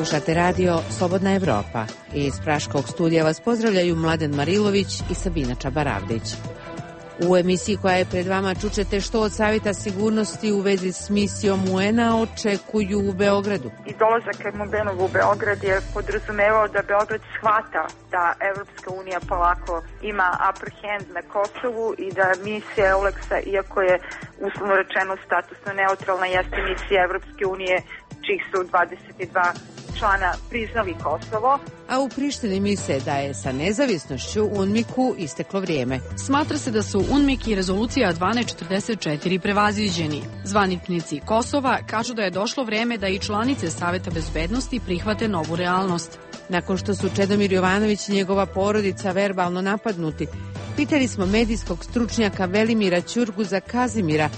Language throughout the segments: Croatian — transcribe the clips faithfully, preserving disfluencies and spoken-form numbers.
Slušate radio Slobodna Evropa. Iz Praškog studija vas pozdravljaju Mladen Marilović i Sabina Čabaravdić. U emisiji koja je pred vama čućete što od Savjeta sigurnosti u vezi s misijom U N A očekuju u Beogradu. I dolazak Ermobenova u Beograd je podrazumevao da Beograd shvata da Evropska unija polako ima upper hand na Kosovu i da misija EULEX-a, iako je uslovno rečeno statusno neutralna, jeste misija Evropske unije čih su dvadeset dva člana priznali Kosovo. A u Prištini misle da je sa nezavisnošću UNMIK-u isteklo vrijeme. Smatra se da su UNMIK i rezolucija dvanaest četrdeset četiri prevaziđeni. Zvaničnici Kosova kažu da je došlo vrijeme da i članice Saveta bezbednosti prihvate novu realnost. Nakon što su Čedomir Jovanović i njegova porodica verbalno napadnuti, pitali smo medijskog stručnjaka Velimira Ćurguza Kazimira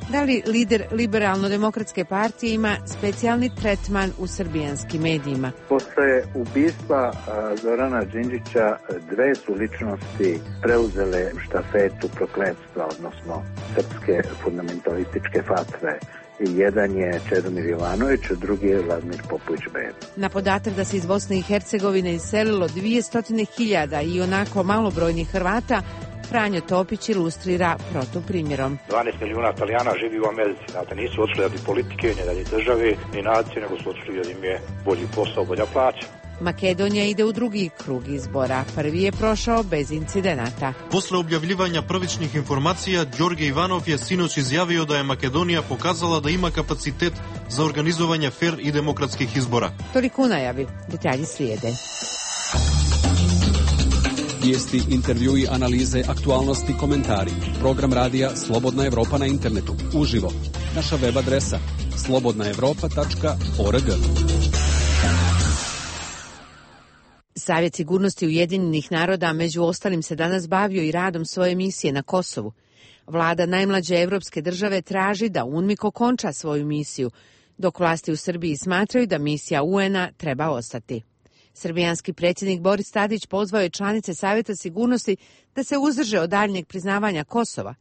da li lider Liberalno-demokratske partije ima specijalni tretman u srbijanskim medijima. Posle ubistva Zorana Đinđića dve su ličnosti preuzele štafetu prokletstva, odnosno srpske fundamentalističke fatve. Jedan je Čedomir Jovanović, a drugi je Vladimir Popović-Beba. Na podatak da se iz Bosne i Hercegovine iselilo dvjesto hiljada i onako malobrojnih Hrvata, Franjo Topić ilustrira protuprimjerom. dvanaest milijuna Italijana živi u Americi. Znate, nisu otišli radi politike, ni radi države, ni nacije, nego su otišli jer im je bolji posao, bolja plaća. Makedonija ide u drugi krug izbora. Prvi je prošao bez incidenata. Posle objavljivanja prvičnih informacija, Đorđe Ivanov je sinoć izjavio da je Makedonija pokazala da ima kapacitet za organizovanje fer i demokratskih izbora. Toliko u najavi. Detalji slijede. Vijesti, intervjui, analize, aktualnosti, komentari. Program radija Slobodna Evropa na internetu. Uživo. Naša web adresa slobodna evropa tačka org. Savjet sigurnosti Ujedinjenih naroda među ostalim se danas bavio i radom svoje misije na Kosovu. Vlada najmlađe evropske države traži da UNMIK okonča svoju misiju, dok vlasti u Srbiji smatraju da misija U N A treba ostati. Srbijanski predsjednik Boris Tadić pozvao je članice Savjeta sigurnosti da se uzdrže od daljnjeg priznavanja Kosova.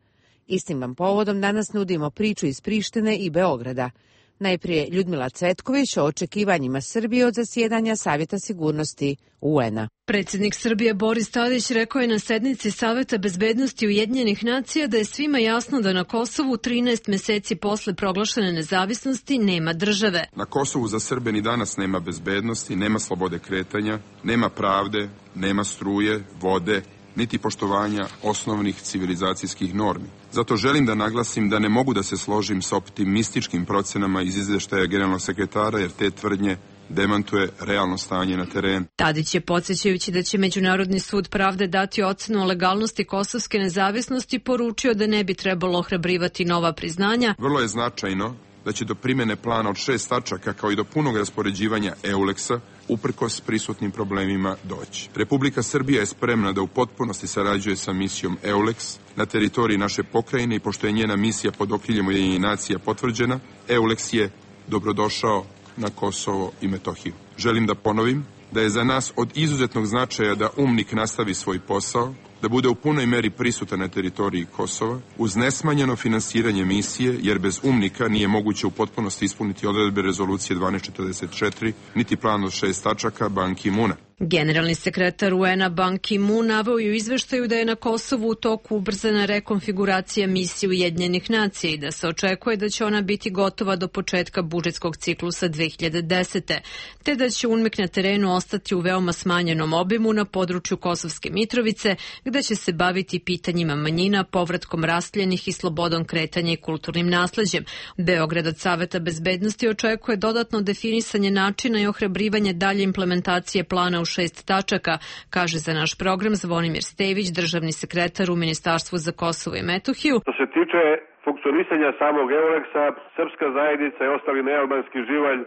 Istim vam povodom danas nudimo priču iz Prištine i Beograda. Najprije Ljudmila Cvetković o očekivanjima Srbije od zasjedanja Savjeta sigurnosti U N A. Predsjednik Srbije Boris Tadić rekao je na sednici Saveta bezbednosti Ujedinjenih nacija da je svima jasno da na Kosovu trinaest mjeseci posle proglašene nezavisnosti nema države. Na Kosovu za Srbe ni danas nema bezbednosti, nema slobode kretanja, nema pravde, nema struje, vode, niti poštovanja osnovnih civilizacijskih normi. Zato želim da naglasim da ne mogu da se složim sa optimističkim procenama iz izveštaja generalnog sekretara, jer te tvrdnje demantuje realno stanje na terenu. Tadić je, podsjećajući da će Međunarodni sud pravde dati ocenu o legalnosti kosovske nezavisnosti, poručio da ne bi trebalo ohrabrivati nova priznanja. Vrlo je značajno da će do primjene plana od šest tačaka kao i do punog raspoređivanja EULEX-a uprkos prisutnim problemima doći. Republika Srbija je spremna da u potpunosti sarađuje sa misijom EULEX na teritoriji naše pokrajine i pošto je njena misija pod okriljem Ujedinjenih nacija potvrđena, EULEX je dobrodošao na Kosovo i Metohiju. Želim da ponovim da je za nas od izuzetnog značaja da UNMIK nastavi svoj posao, da bude u punoj meri prisutan na teritoriji Kosova, uz nesmanjeno finansiranje misije, jer bez UNMIK-a nije moguće u potpunosti ispuniti odredbe rezolucije dvanaest četrdeset četiri, niti plan od šest tačaka Ban Ki-muna. Generalni sekretar U N A Ban Ki-moon naveo je u izveštaju da je na Kosovu u toku ubrzana rekonfiguracija misije Ujedinjenih nacija i da se očekuje da će ona biti gotova do početka budžetskog ciklusa dve hiljade desete. te da će UNMIK na terenu ostati u veoma smanjenom obimu na području Kosovske Mitrovice, gde će se baviti pitanjima manjina, povratkom rastljenih i slobodom kretanja i kulturnim nasleđem. Beograd od Saveta bezbednosti očekuje dodatno definisanje načina i ohrabrivanje dalje implementacije plana u šest tačaka, kaže za naš program Zvonimir Stević, državni sekretar u Ministarstvu za Kosovo i Metohiju. Što se tiče funkcionisanja samog EULEX-a, srpska zajednica i ostali nealbanski živalj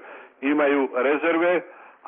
imaju rezerve,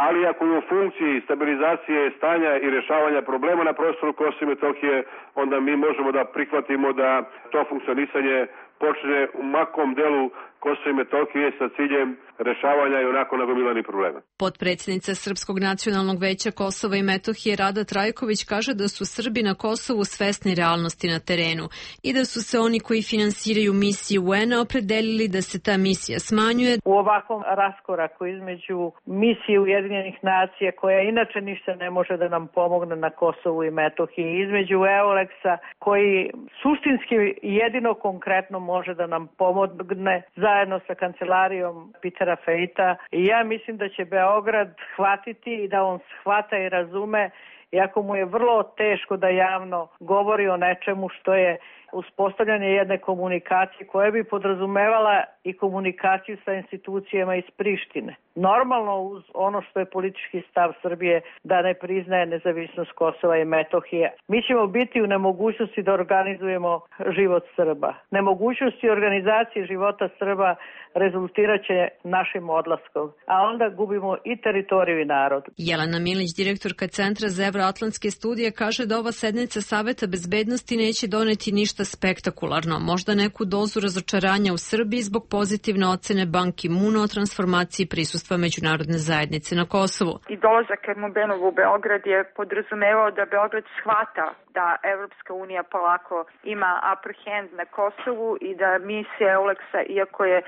ali ako je u funkciji stabilizacije stanja i rješavanja problema na prostoru Kosova i Metohije, onda mi možemo da prihvatimo da to funkcionisanje počne u makom delu Kosovo i Metohije sa ciljem rešavanja i onako nagomilanih problema. Potpredsjednica Srpskog nacionalnog veća Kosova i Metohije Rada Trajković kaže da su Srbi na Kosovu svesni realnosti na terenu i da su se oni koji finansiraju misiju U N A opredelili da se ta misija smanjuje. U ovakvom raskoraku između misije Ujedinjenih nacija, koja inače ništa ne može da nam pomogne na Kosovu i Metohiji, između EULEX-a koji suštinski jedino konkretno može da nam pomogne zajedno sa kancelarijom Petera Fejta. I ja mislim da će Beograd shvatiti i da on shvata i razume, iako mu je vrlo teško da javno govori o nečemu što je uspostavljanje jedne komunikacije koja bi podrazumevala i komunikaciju sa institucijama iz Prištine. Normalno uz ono što je politički stav Srbije da ne priznaje nezavisnost Kosova i Metohije. Mi ćemo biti u nemogućnosti da organizujemo život Srba. Nemogućnosti organizacije života Srba rezultirat će našim odlaskom, a onda gubimo i teritoriju i narod. Jelena Milić, direktorka Centra za evroatlantske studije, kaže da ova sednica Saveta bezbednosti neće doneti ništa spektakularno, možda neku dozu razočaranja u Srbiji zbog pozitivne ocene Ban Ki-moona o transformaciji prisustva međunarodne zajednice na Kosovu. I dolazak Ermubenov u Beograd je podrazumevao da Beograd shvata da Evropska unija polako ima upper hand na Kosovu i da misija EULEX-a, iako je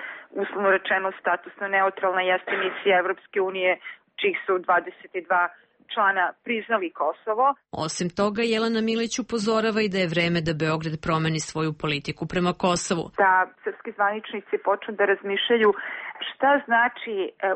uslovno rečeno statusno neutralna, jeste misija Evropske unije čih su dvadeset dva člana priznali Kosovo. Osim toga, Jelena Milić upozorava i da je vreme da Beograd promeni svoju politiku prema Kosovu. Da srpski zvaničnici počnu da razmišljaju šta znači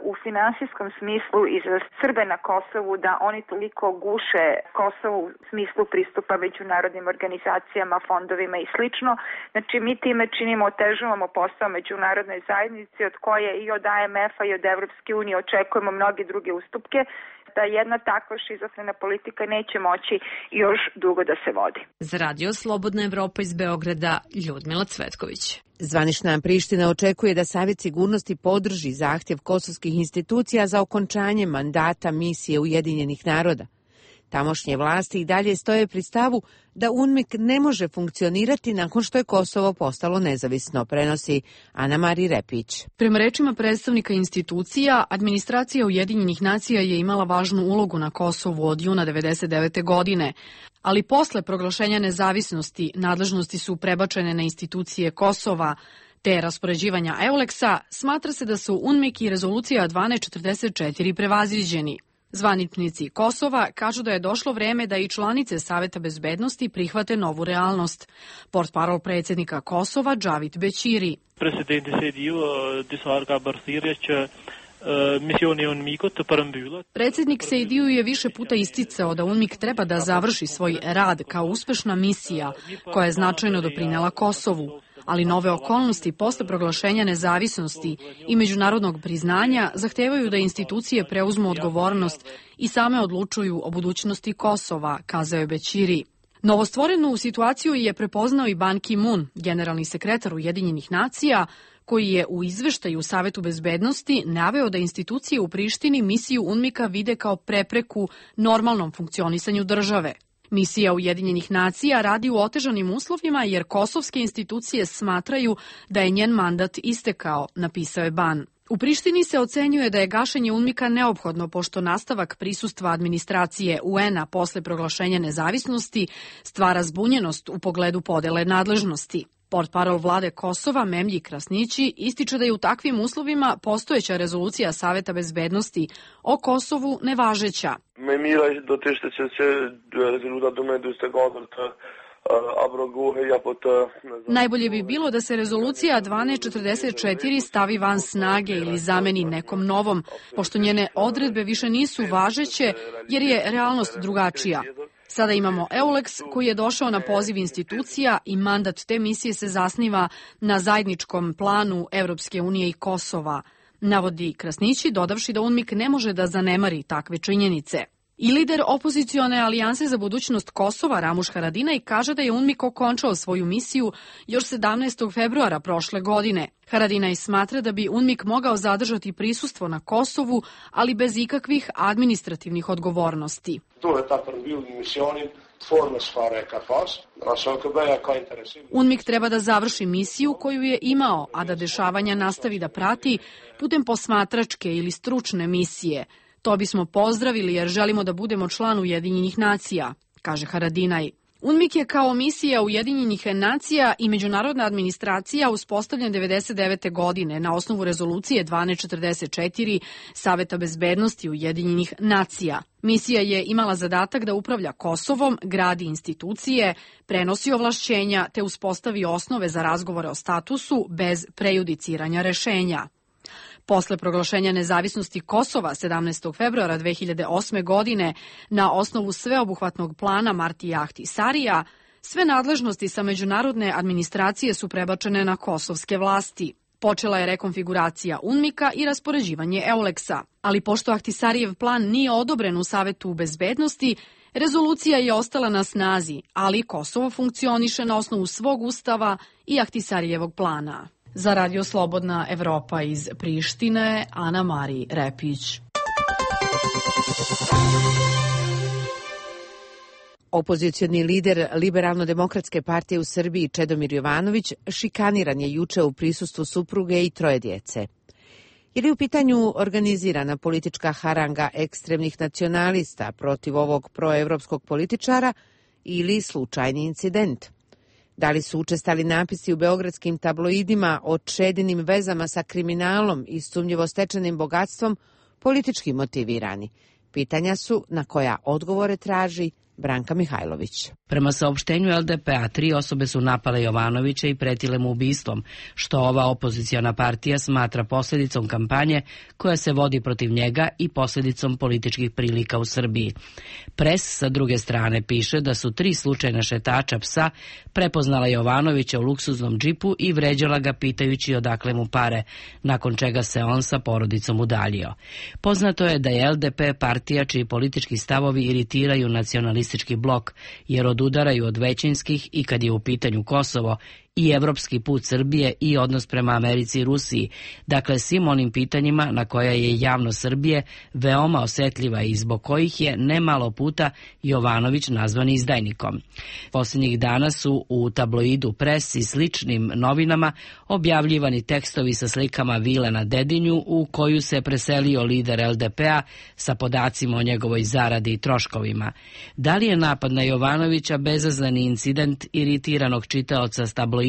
u finansijskom smislu i za Srbe na Kosovu da oni toliko guše Kosovo u smislu pristupa međunarodnim organizacijama, fondovima i slično. Znači, mi time činimo, otežavamo posao međunarodnoj zajednici od koje i od A M F-a i od Evropske unije očekujemo mnoge druge ustupke, da jedna takva šizofrena politika neće moći još dugo da se vodi. Za radio Slobodna Evropa iz Beograda, Ljudmila Cvetković. Zvanična Priština očekuje da Savjet sigurnosti podrži zahtjev kosovskih institucija za okončanje mandata misije Ujedinjenih naroda. Tamošnje vlasti i dalje stoje pri stavu da UNMIK ne može funkcionirati nakon što je Kosovo postalo nezavisno, prenosi Ana Mari Repić. Prema rečima predstavnika institucija, administracija Ujedinjenih nacija je imala važnu ulogu na Kosovu od juna devedeset devete godine, ali posle proglašenja nezavisnosti nadležnosti su prebačene na institucije Kosova, te raspoređivanja EULEX-a, smatra se da su UNMIK i rezolucija dvanaest četrdeset četiri prevaziđeni. Zvaničnici Kosova kažu da je došlo vreme da i članice Saveta bezbednosti prihvate novu realnost. Portparol predsjednika Kosova, Džavit Bećiri. Predsjednik Sejdiju je više puta isticao da UNMIK treba da završi svoj rad kao uspešna misija koja je značajno doprinela Kosovu, ali nove okolnosti posle proglašenja nezavisnosti i međunarodnog priznanja zahtevaju da institucije preuzmu odgovornost i same odlučuju o budućnosti Kosova, kazao je Bećiri. Novostvorenu situaciju je prepoznao i Ban Ki-moon, generalni sekretar Ujedinjenih nacija, koji je u izveštaju Savetu bezbednosti naveo da institucije u Prištini misiju UNMIK-a vide kao prepreku normalnom funkcionisanju države. Misija Ujedinjenih nacija radi u otežanim uslovima jer kosovske institucije smatraju da je njen mandat istekao, napisao je Ban. U Prištini se ocenjuje da je gašenje UNMIK-a neophodno pošto nastavak prisustva administracije U N A posle proglašenja nezavisnosti stvara zbunjenost u pogledu podele nadležnosti. Portparol vlade Kosova Memlji Krasnići ističe da je u takvim uslovima postojeća rezolucija Saveta bezbednosti o Kosovu nevažeća. Najbolje bi bilo da se rezolucija dvanaest četrdeset četiri stavi van snage ili zameni nekom novom, pošto njene odredbe više nisu važeće jer je realnost drugačija. Sada imamo EULEX koji je došao na poziv institucija i mandat te misije se zasniva na zajedničkom planu Evropske unije i Kosova, navodi Krasnići, dodavši da UNMIK ne može da zanemari takve činjenice. I lider opozicione alijanse za budućnost Kosova Ramuš Haradinaj kaže da je UNMIK okončao svoju misiju još sedamnaestog februara prošle godine. Haradinaj smatra da bi UNMIK mogao zadržati prisustvo na Kosovu, ali bez ikakvih administrativnih odgovornosti. UNMIK treba da završi misiju koju je imao, a da dešavanja nastavi da prati putem posmatračke ili stručne misije. To bismo pozdravili jer želimo da budemo član Ujedinjenih nacija, kaže Haradinaj. UNMIK je kao misija Ujedinjenih nacija i međunarodna administracija uspostavljen devedeset devete. godine na osnovu rezolucije dvanaest četrdeset četiri Saveta bezbednosti Ujedinjenih nacija. Misija je imala zadatak da upravlja Kosovom, gradi institucije, prenosi ovlašćenja te uspostavi osnove za razgovore o statusu bez prejudiciranja rešenja. Posle proglašenja nezavisnosti Kosova sedamnaestog februara dve hiljade osme. godine na osnovu sveobuhvatnog plana Martija Ahtisarija, sve nadležnosti sa međunarodne administracije su prebačene na kosovske vlasti. Počela je rekonfiguracija UNMIK-a i raspoređivanje EULEX-a, ali pošto Ahtisarijev plan nije odobren u Savetu bezbednosti, rezolucija je ostala na snazi, ali Kosovo funkcioniše na osnovu svog ustava i Ahtisarijevog plana. Za Radio Slobodna Evropa iz Prištine, Ana Mari Repić. Opozicioni lider Liberalno-demokratske partije u Srbiji Čedomir Jovanović šikaniran je juče u prisustvu supruge i troje djece. Je li u pitanju organizirana politička haranga ekstremnih nacionalista protiv ovog proevropskog političara ili slučajni incident? Da li su učestali napisi u beogradskim tabloidima o Čedinim vezama sa kriminalom i sumnjivo stečenim bogatstvom politički motivirani? Pitanja su na koja odgovore traži Branka Mihajlović. Prema saopštenju L D P-a, tri osobe su napale Jovanovića i pretile mu ubistvom, što ova opoziciona partija smatra posljedicom kampanje koja se vodi protiv njega i posljedicom političkih prilika u Srbiji. Pres sa druge strane piše da su tri slučajna šetača psa prepoznala Jovanovića u luksuznom džipu i vređala ga pitajući odakle mu pare, nakon čega se on sa porodicom udaljio. Poznato je da je L D P partija čiji politički stavovi iritiraju nacionalistički blok, jer odudaraju od većinskih i kad je u pitanju Kosovo i evropski put Srbije i odnos prema Americi i Rusiji, dakle svim onim pitanjima na koja je javnost Srbije veoma osetljiva i zbog kojih je nemalo puta Jovanović nazvan izdajnikom. Posljednjih dana su u tabloidu Pres i sličnim novinama objavljivani tekstovi sa slikama vile na Dedinju u koju se preselio lider L D P-a sa podacima o njegovoj zaradi i troškovima. Da li je napad na Jovanovića bezazleni incident iritiranog čitaoca s tabloida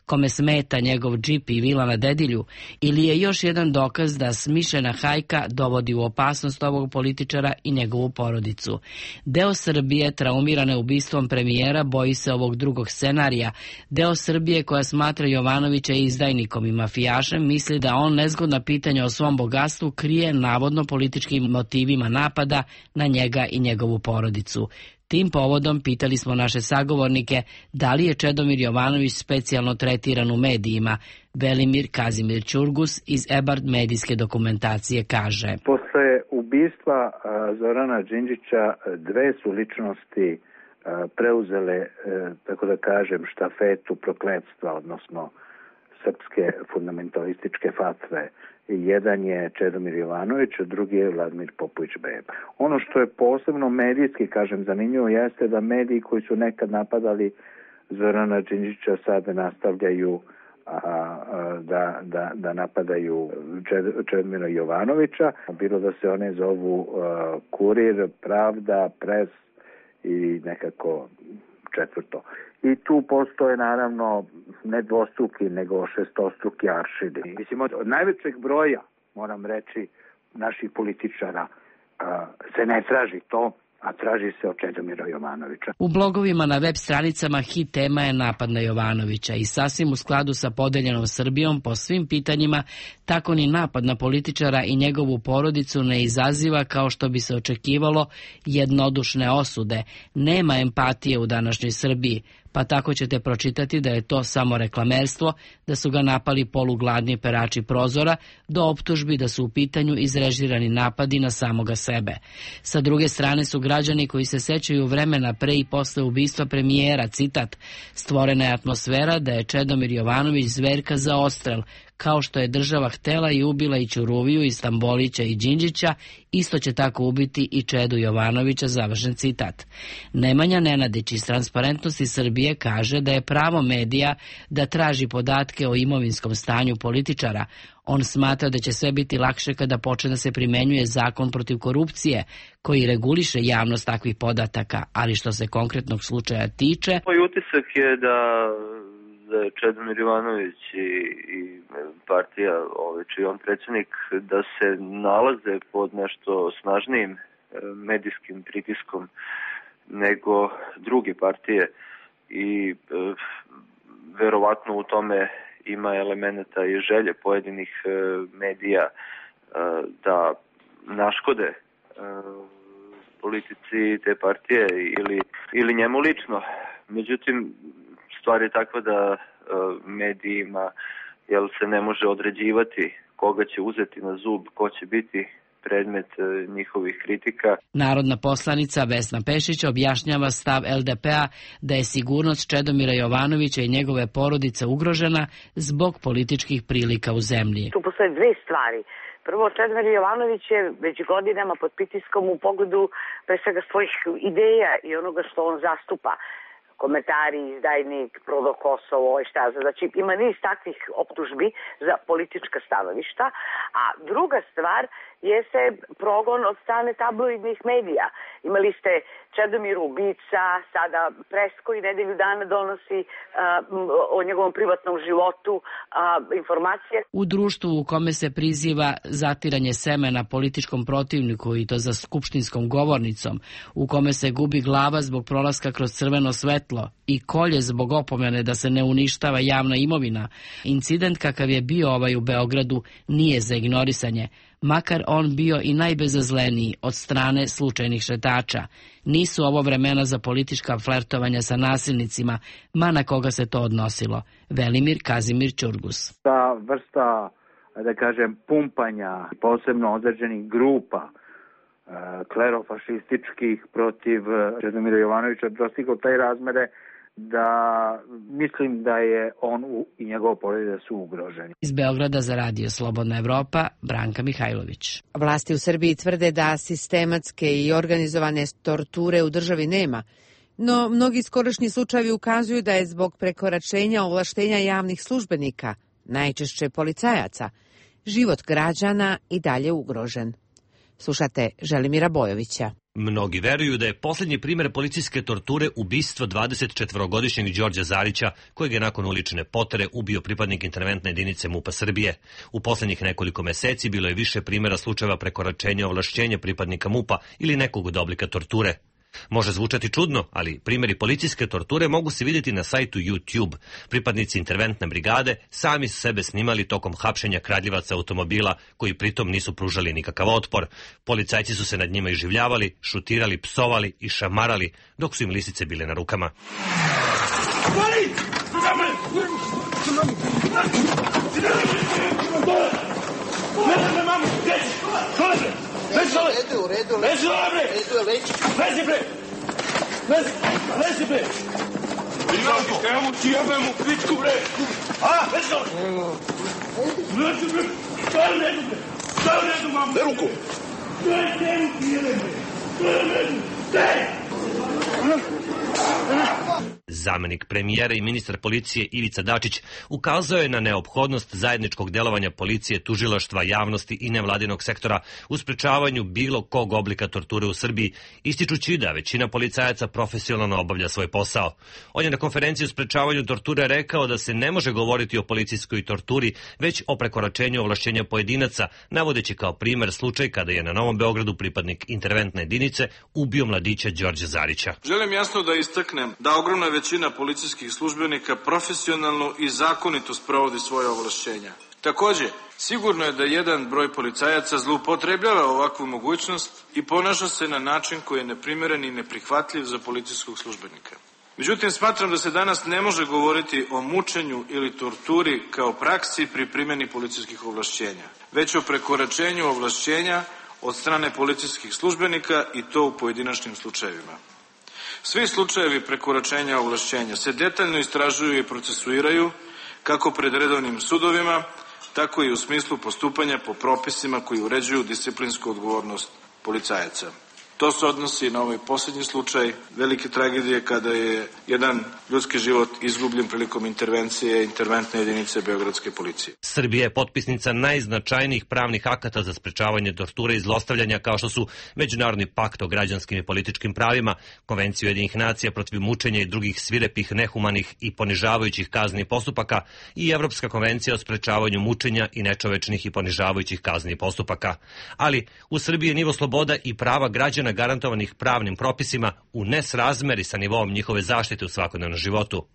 kome smeta njegov džip i vila na Dedilju, ili je još jedan dokaz da smišljena hajka dovodi u opasnost ovog političara i njegovu porodicu? Deo Srbije traumirane ubistvom premijera boji se ovog drugog scenarija. Deo Srbije koja smatra Jovanovića izdajnikom i mafijašem misli da on nezgodna pitanja o svom bogatstvu krije navodno političkim motivima napada na njega i njegovu porodicu. Tim povodom pitali smo naše sagovornike da li je Čedomir Jovanović specijalno tretiran u medijima. Velimir Kazimir Ćurgus iz Ebard medijske dokumentacije kaže: Posle ubistva Zorana Đinđića dve su ličnosti preuzele, tako da kažem, štafetu prokletstva, odnosno srpske fundamentalističke fatve. Jedan je Čedomir Jovanović, a drugi je Vladimir Popović Beba. Ono što je posebno medijski, kažem, zanimljivo jeste da mediji koji su nekad napadali Zorana Đinđića sada nastavljaju a, a, da, da, da napadaju Čedomira Jovanovića. Bilo da se one zovu a, Kurir, Pravda, Pres i nekako četvrto. I tu postoje naravno ne dvostruki, nego šestostruki aršini. Mislim, od, od najvećeg broja, moram reći, naših političara a, se ne traži to, a traži se od Čedomira Jovanovića. U blogovima na web stranicama hit tema je napad na Jovanovića i sasvim u skladu sa podeljenom Srbijom po svim pitanjima, tako ni napad na političara i njegovu porodicu ne izaziva, kao što bi se očekivalo, jednodušne osude. Nema empatije u današnjoj Srbiji, pa tako ćete pročitati da je to samo reklamerstvo, da su ga napali polugladni perači prozora, do optužbi da su u pitanju izrežirani napadi na samoga sebe. Sa druge strane su građani koji se sećaju vremena pre i posle ubistva premijera, citat: stvorena je atmosfera da je Čedomir Jovanović zverka za odstrel, Kao što je država htela i ubila i Ćuruviju, i Stambolića i Đinđića, isto će tako ubiti i Čedu Jovanovića, završen citat. Nemanja Nenadić iz Transparentnosti Srbije kaže da je pravo medija da traži podatke o imovinskom stanju političara. On smatra da će sve biti lakše kada počne da se primenjuje zakon protiv korupcije, koji reguliše javnost takvih podataka, ali što se konkretnog slučaja tiče... Moj utisak je da, da je Čedomir Jovanović i, i partija, ovaj, čiji on predsjednik, da se nalaze pod nešto snažnijim medijskim pritiskom nego druge partije i e, verovatno u tome ima elemenata i želje pojedinih e, medija e, da naškode e, politici te partije ili, ili njemu lično. Međutim, stvar je takva da e, medijima jel, se ne može određivati koga će uzeti na zub, ko će biti predmet njihovih kritika. Narodna poslanica Vesna Pešić objašnjava stav el de pe a da je sigurnost Čedomira Jovanovića i njegove porodice ugrožena zbog političkih prilika u zemlji. Tu postoje dve stvari. Prvo, Čedomir Jovanović je već godinama pod pritiskom u pogledu pre svega svojih ideja i onoga što on zastupa. Komentari, izdajnik, prodo Kosovo, ovaj šta za. Znači, ima niz takvih optužbi za politička stanovišta. A druga stvar je se progon od strane tabloidnih medija. Imali ste Čedomir ubica, sada pres koji nedelju dana donosi uh, o njegovom privatnom životu uh, informacije. U društvu u kome se priziva zatiranje semena političkom protivniku i to za skupštinskom govornicom, u kome se gubi glava zbog prolaska kroz crveno svetlo i kolje zbog opomene da se ne uništava javna imovina, incident kakav je bio ovaj u Beogradu nije za ignorisanje, makar on bio i najbezazleniji od strane slučajnih šetača. Nisu ovo vremena za politička flertovanja sa nasilnicima, ma na koga se to odnosilo. Velimir Kazimir Ćurgus. Ta vrsta, da kažem, pumpanja posebno određenih grupa klerofašističkih protiv Čedomira Jovanovića dostigao taj razmere da mislim da je on i njegov porodica su ugroženi. Iz Beograda za radio Slobodna Evropa, Branka Mihajlović. Vlasti u Srbiji tvrde da sistematske i organizovane torture u državi nema, no mnogi skorašnji slučajevi ukazuju da je zbog prekoračenja ovlaštenja javnih službenika, najčešće policajaca, život građana i dalje ugrožen. Slušate Želimira Bojovića. Mnogi veruju da je posljednji primjer policijske torture ubistvo dvadesetčetvorogodišnjeg Đorđa Zarića, kojeg je nakon ulične potere ubio pripadnik interventne jedinice MUP-a Srbije. U posljednjih nekoliko meseci bilo je više primjera slučajeva prekoračenja ovlašćenja pripadnika MUP-a ili nekog od oblika torture. Može zvučati čudno, ali primjeri policijske torture mogu se vidjeti na sajtu YouTube. Pripadnici interventne brigade sami su sebe snimali tokom hapšenja kradljivaca automobila, koji pritom nisu pružali nikakav otpor. Policajci su se nad njima iživljavali, šutirali, psovali i šamarali, dok su im lisice bile na rukama. Lezi dole! U redu, u redu. Lezi dole, bre! Lezi dole, leći. Lezi, bre! Lezi, lezi, bre! Ivanko, evo mu ti jebem u pičku, bre! A, lezi dole! Lezi, bre! Daj u redu, bre! Daj u redu, mamu! Daj ruku! Daj, daj mu ti jebem, bre! Daj u redu! Daj! Zamenik premijera i ministar policije Ivica Dačić ukazao je na neophodnost zajedničkog delovanja policije, tužilaštva, javnosti i nevladinog sektora u sprečavanju bilo kog oblika torture u Srbiji, ističući da većina policajaca profesionalno obavlja svoj posao. On je na konferenciji o sprečavanju torture rekao da se ne može govoriti o policijskoj torturi, već o prekoračenju ovlašćenja pojedinaca, navodeći kao primer slučaj kada je na Novom Beogradu pripadnik interventne jedinice ubio mladića Đorđa Zarića. Želim jasno da istaknem da ogromna većina policijskih službenika profesionalno i zakonito sprovodi svoje ovlašćenja. Također, sigurno je da jedan broj policajaca zloupotrebljava ovakvu mogućnost i ponaša se na način koji je neprimjeren i neprihvatljiv za policijskog službenika. Međutim, smatram da se danas ne može govoriti o mučenju ili torturi kao praksi pri primjeni policijskih ovlašćenja, već o prekoračenju ovlašćenja od strane policijskih službenika i to u pojedinačnim slučajevima. Svi slučajevi prekoračenja ovlašćenja se detaljno istražuju i procesuiraju kako pred redovnim sudovima, tako i u smislu postupanja po propisima koji uređuju disciplinsku odgovornost policajaca. To se odnosi na ovaj posljednji slučaj velike tragedije kada je jedan ljudski život izgubljen prilikom intervencije interventne jedinice Beogradske policije. Srbija je potpisnica najznačajnijih pravnih akata za sprečavanje torture i zlostavljanja kao što su Međunarodni pakt o građanskim i političkim pravima, Konvenciju Ujedinjenih nacija protiv mučenja i drugih svirepih, nehumanih i ponižavajućih kaznenih postupaka i Evropska konvencija o sprečavanju mučenja i nečovečnih i ponižavajućih kaznenih postupaka. Ali u Srbiji je nivo sloboda i prava građana garantovanih pravnim propisima u nesrazmeri sa nivoom njihove zaštite u svakodnevnom životu.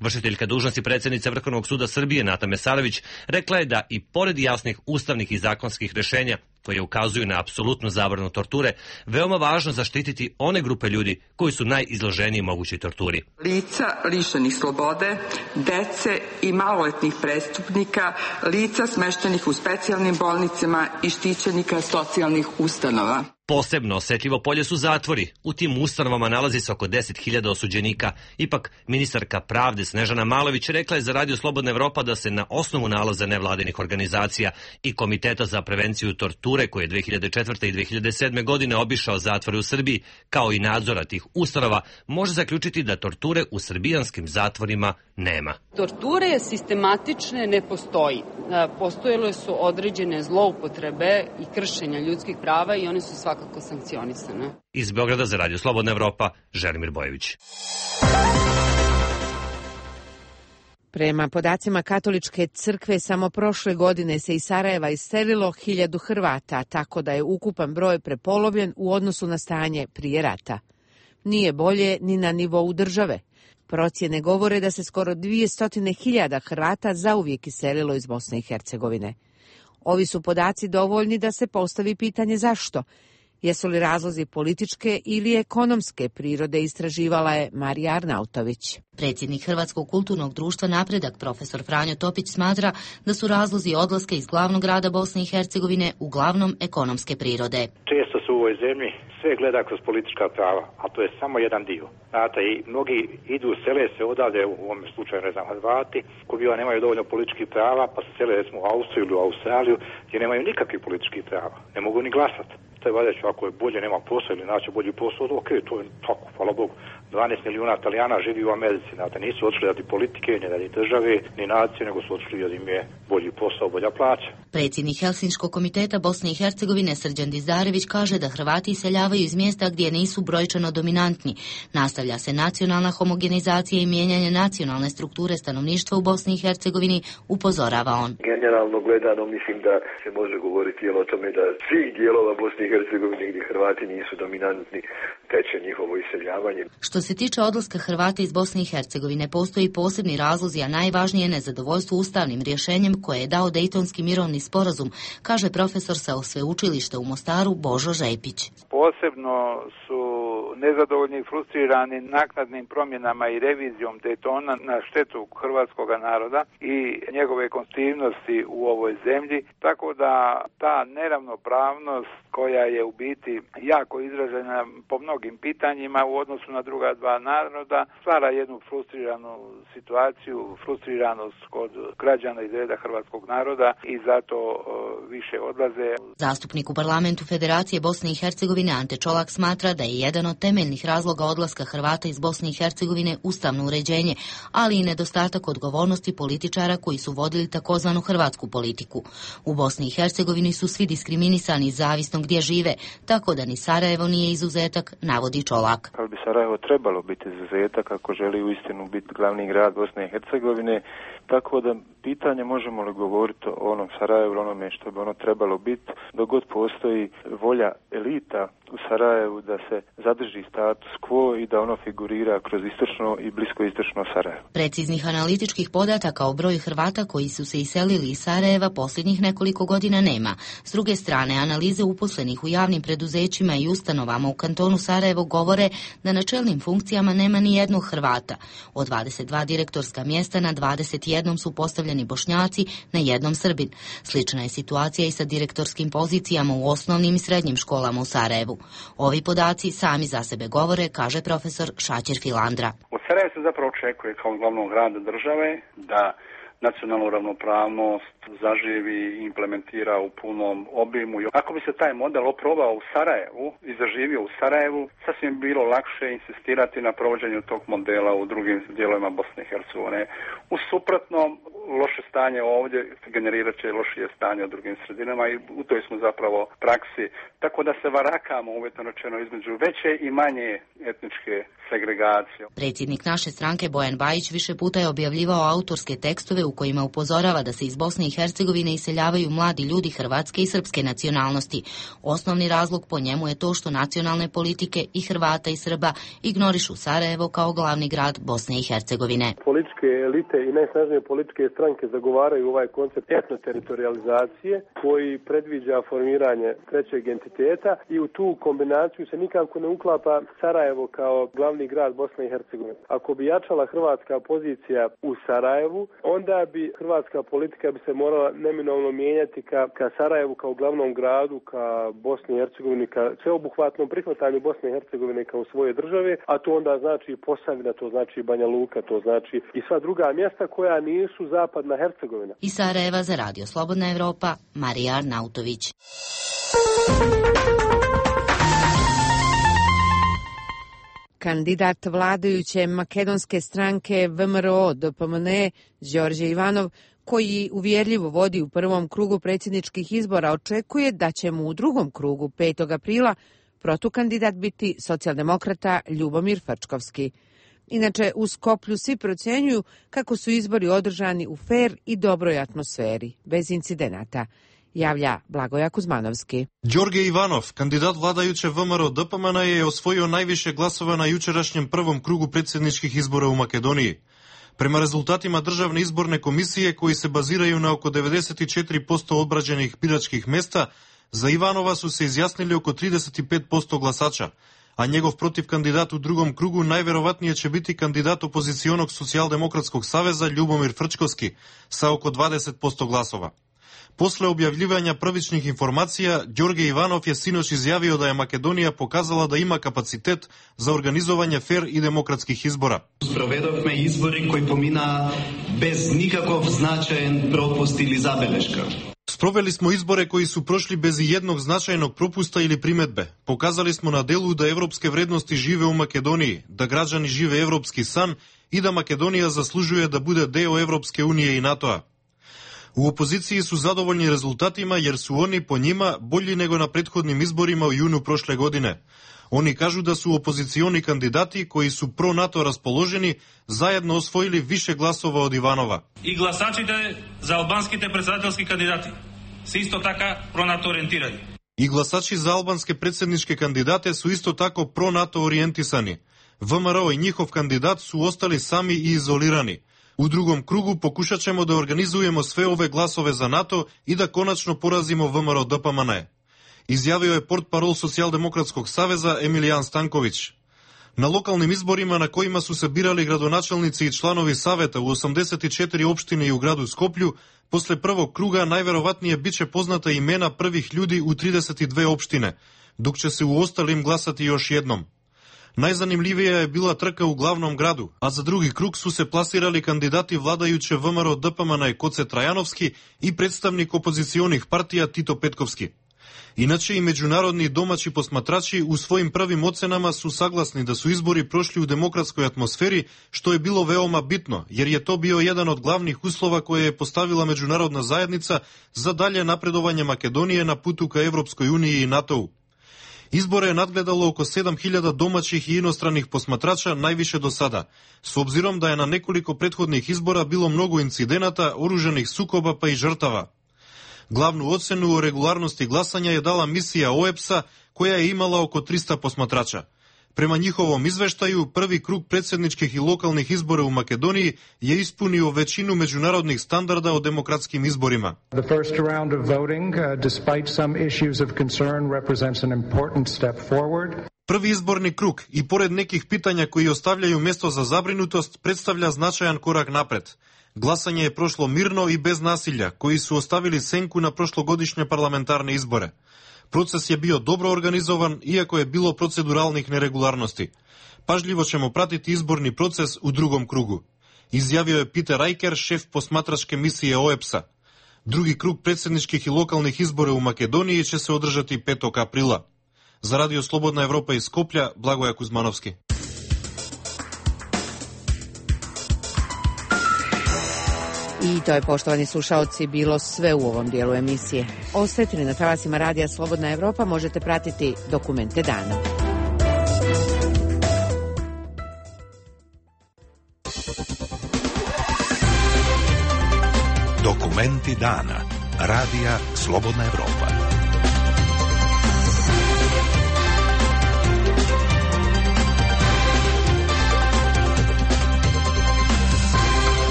Vršiteljka dužnosti predsjednice Vrhovnog suda Srbije Nata Mesarović rekla je da i pored jasnih ustavnih i zakonskih rešenja koje ukazuju na apsolutnu zabranu torture, veoma važno zaštititi one grupe ljudi koji su najizloženiji mogućoj torturi. Lica lišenih slobode, dece i maloletnih prestupnika, lica smeštenih u specijalnim bolnicama i štićenika socijalnih ustanova. Posebno osetljivo polje su zatvori. U tim ustanovama nalazi se oko deset hiljada osuđenika. Ipak, ministarka pravde Snežana Malović rekla je za Radio Slobodna Evropa da se na osnovu nalaza nevladinih organizacija i Komiteta za prevenciju torture, koji je dve hiljade četvrte i dve hiljade sedme godine obišao zatvore u Srbiji, kao i nadzora tih ustanova, može zaključiti da torture u srbijanskim zatvorima nema. Torture sistematične ne postoji. Postojele su određene zloupotrebe i kršenja ljudskih prava i one su svakako sankcionisane. Iz Beograda za Radio Slobodna Evropa, Želimir Bojević. Prema podacima Katoličke crkve, samo prošle godine se iz Sarajeva iselilo hiljadu Hrvata, tako da je ukupan broj prepolovljen u odnosu na stanje prije rata. Nije bolje ni na nivou države. Procjene govore da se skoro dvjesto hiljada Hrvata zauvijek iselilo iz Bosne i Hercegovine. Ovi su podaci dovoljni da se postavi pitanje zašto. Jesu li razlozi političke ili ekonomske prirode, istraživala je Marija Arnautović. Predsjednik Hrvatskog kulturnog društva Napredak, profesor Franjo Topić, smatra da su razlozi odlaska iz glavnog grada Bosne i Hercegovine uglavnom ekonomske prirode. Često se u ovoj zemlji sve gleda kroz politička prava, a to je samo jedan dio. Znate, i mnogi idu, sele se odavde, u ovom slučaju, ne znam, Hrvati, koji biva nemaju dovoljno političkih prava, pa se sele, recimo, u Austriju ili u Australiju, gdje nemaju nikakvih političkih prava. Ne mogu ni glasati. To je valjda, ako je bolje, nema posao ili naći bolji posao, ok, to je tako, hvala Bogu. dvanaest milijuna Italijana živi u Americi, znate, nisu otišli radi politike, ni radi države, ni nacije, nego su otišli jer im je bolji posao, bolja plaća. Predsjednik Helsinškog komiteta Bosne i Hercegovine Srđan Dizdarević kaže da Hrvati iseljavaju iz mjesta gdje nisu brojčano dominantni. Nastavlja se nacionalna homogenizacija i mijenjanje nacionalne strukture stanovništva u Bosni i Hercegovini, upozorava on. Generalno gledano mislim da se može govoriti o tome da svih dijelova Bosne i Hercegovine gdje Hrvati nisu dominantni teče njihovo iseljavanje. Što se tiče odlaska Hrvata iz Bosne i Hercegovine, postoji posebni razlozi, a najvažnije nezadovoljstvo ustavnim rješenjem koje je dao Dejtonski mirovni sporazum, kaže profesor sa sveučilišta u Mostaru Božo Žepić. Posebno su nezadovoljni i frustrirani naknadnim promjenama i revizijom Dejtona na štetu hrvatskog naroda i njegove konstitutivnosti u ovoj zemlji, tako da ta neravnopravnost koja je u biti jako izražena po mnogim pitanjima u odnosu na druga dva naroda, stvara jednu frustriranu situaciju, frustriranost kod građana iz reda hrvatskog naroda i zato uh, više odlaze. Zastupnik u parlamentu Federacije Bosne i Hercegovine Ante Čolak smatra da je jedan od temeljnih razloga odlaska Hrvata iz Bosne i Hercegovine ustavno uređenje, ali i nedostatak odgovornosti političara koji su vodili takozvanu hrvatsku politiku. U Bosni i Hercegovini su svi diskriminisani zavisno gdje žive, tako da ni Sarajevo nije izuzetak, navodi Čolak. Ali bi Sarajevo trebalo biti izuzetak ako želi uistinu biti glavni grad Bosne i Hercegovine, tako da pitanje možemo li govoriti o onom Sarajevu, onome što bi ono trebalo biti, dok god postoji volja elita u Sarajevu da se zadrži status quo i da ono figurira kroz istočno i bliskoistočno Sarajevo. Preciznih analitičkih podataka o broju Hrvata koji su se iselili iz Sarajeva posljednjih nekoliko godina nema. S druge strane, analize uposlenih u javnim preduzećima i ustanovama u kantonu Sarajevo govore da na čelnim funkcijama nema ni jednog Hrvata. Od dvadeset dva direktorska mjesta na dvadeset jedan su postavljeni Bošnjaci, na jednom Srbin. Slična je situacija i sa direktorskim pozicijama u osnovnim i srednjim školama u Sarajevu. Ovi podaci sami za sebe govore, kaže profesor Šaćer Filandra. Od Sarajeva se zapravo očekuje kao glavnog grada države da nacionalnu ravnopravnost zaživi i implementira u punom obimu. Ako bi se taj model oprobao u Sarajevu i zaživio u Sarajevu, sasvim bilo lakše insistirati na provođenju tog modela u drugim dijelovima Bosne i Hercegovine. U suprotnom, loše stanje ovdje generirat će lošije stanje u drugim sredinama i u toj smo zapravo praksi. Tako da se varakamo, uvjetno rečeno, između veće i manje etničke segregacije. Predsjednik naše stranke Bojan Bajić više puta je objavljivao autorske tekstove u kojima upozorava da se iz Bosne i Hercegovine iseljavaju mladi ljudi hrvatske i srpske nacionalnosti. Osnovni razlog po njemu je to što nacionalne politike i Hrvata i Srba ignorišu Sarajevo kao glavni grad Bosne i Hercegovine. Političke elite i najsnažnije političke stranke zagovaraju ovaj koncept etnoteritorializacije koji predviđa formiranje trećeg entiteta i u tu kombinaciju se nikako ne uklapa Sarajevo kao glavni grad Bosne i Hercegovine. Ako bi jačala hrvatska pozicija u Sarajevu, onda bi hrvatska politika bi se morala neminovno mijenjati ka, ka Sarajevu kao glavnom gradu, ka Bosni i Hercegovini, ka sveobuhvatnom prihvatanju Bosne i Hercegovine kao svoje države, a to onda znači Posavina, to znači Banja Luka, to znači i sva druga mjesta koja nisu zapadna Hercegovina. Iz Sarajeva za Radio Slobodna Evropa, Marija Arnautović. Kandidat vladajuće makedonske stranke V M R O D P M N Đorđe Ivanov, koji uvjerljivo vodi u prvom krugu predsjedničkih izbora, očekuje da će mu u drugom krugu petog aprila protukandidat biti socijaldemokrata Ljubomir Frčkovski. Inače, u Skoplju svi procjenjuju kako su izbori održani u fer i dobroj atmosferi, bez incidenata, javlja Blagoja Kuzmanovski. Đorđe Ivanov, kandidat vladajuće V M R O D P M N, je osvojio najviše glasova na jučerašnjem prvom krugu predsjedničkih izbora u Makedoniji. Prema rezultatima Državne izborne komisije, koji se baziraju na oko devedeset četiri posto obrađenih biračkih mesta, za Ivanova su se izjasnili oko trideset pet posto glasača, a njegov protivkandidat u drugom krugu najverovatnije će biti kandidat opozicionog socijaldemokratskog saveza Ljubomir Frčkovski sa oko dvadeset posto glasova. Posle objavljivanja prvičnih informacija, Đorđe Ivanov je sinoć izjavio da je Makedonija pokazala da ima kapacitet za organizovanje fer i demokratskih izbora. Sprovedovme izbori koji pomina bez nikakov značajan propust ili zabeleška. Sproveli smo izbore koji su prošli bez jednog značajnog propusta ili primetbe. Pokazali smo na delu da evropske vrednosti žive u Makedoniji, da građani žive evropski san i da Makedonija zaslužuje da bude deo Evropske unije i NATO-a. U opoziciji su zadovoljni rezultatima jer su oni po njima bolji nego na prethodnim izborima u junu prošle godine. Oni kažu da su opozicioni kandidati koji su pro-NATO raspoloženi zajedno osvojili više glasova od Ivanova. I glasačite za albanskite predsjedateljski kandidati se isto taka pro-NATO orijentirani. I glasači za albanske predsjedničke kandidate su isto tako pro-NATO orijentisani. V M R O i njihov kandidat su ostali sami i izolirani. U drugom krugu pokušat ćemo da organizujemo sve ove glasove za NATO i da konačno porazimo V M R O D P M N. Izjavio je portparol Socijaldemokratskog saveza Emilijan Stanković. Na lokalnim izborima na kojima su se birali gradonačelnici i članovi saveta u osamdeset četiri opštine i u gradu Skoplju, posle prvog kruga najverovatnije biće poznata imena prvih ljudi u trideset dve opštine, dok će se u ostalim glasati još jednom. Najzanimljivija je bila trka u glavnom gradu, a za drugi krug su se plasirali kandidati vladajuće V M R O D P M N Koce Trajanovski i predstavnik opozicionih partija Tito Petkovski. Inače i međunarodni domaći posmatrači u svojim prvim ocenama su saglasni da su izbori prošli u demokratskoj atmosferi, što je bilo veoma bitno, jer je to bio jedan od glavnih uslova koje je postavila međunarodna zajednica za dalje napredovanje Makedonije na putu ka Evropskoj uniji i NATO-u. Izbore je nadgledalo oko sedam hiljada domaćih i inostranih posmatrača, najviše do sada, s obzirom da je na nekoliko prethodnih izbora bilo mnogo incidenata, oružanih sukoba pa i žrtava. Glavnu ocenu o regularnosti glasanja je dala misija O E B S-a, koja je imala oko trista posmatrača. Prema njihovom izveštaju, prvi krug predsjedničkih i lokalnih izbora u Makedoniji je ispunio većinu međunarodnih standarda o demokratskim izborima. The first round of voting, uh, despite some issues of concern, represents an important step forward. Prvi izborni krug, i pored nekih pitanja koji ostavljaju mjesto za zabrinutost, predstavlja značajan korak napred. Glasanje je prošlo mirno i bez nasilja, koji su ostavili senku na prošlogodišnje parlamentarne izbore. Proces je bio dobro organizovan, iako je bilo proceduralnih neregularnosti. Pažljivo ćemo pratiti izborni proces u drugom krugu. Izjavio je Peter Riker, šef posmatračke misije O E P S-a. Drugi krug predsjedničkih i lokalnih izbora u Makedoniji će se održati petog aprila. Za Radio Slobodna Evropa iz Skoplja, Blagoja Kuzmanovski. I to je, poštovani slušaoci, bilo sve u ovom dijelu emisije. Ostajte li na talasima Radija Slobodna Evropa, možete pratiti Dokumente dana. Dokumenti dana. Radija Slobodna Evropa.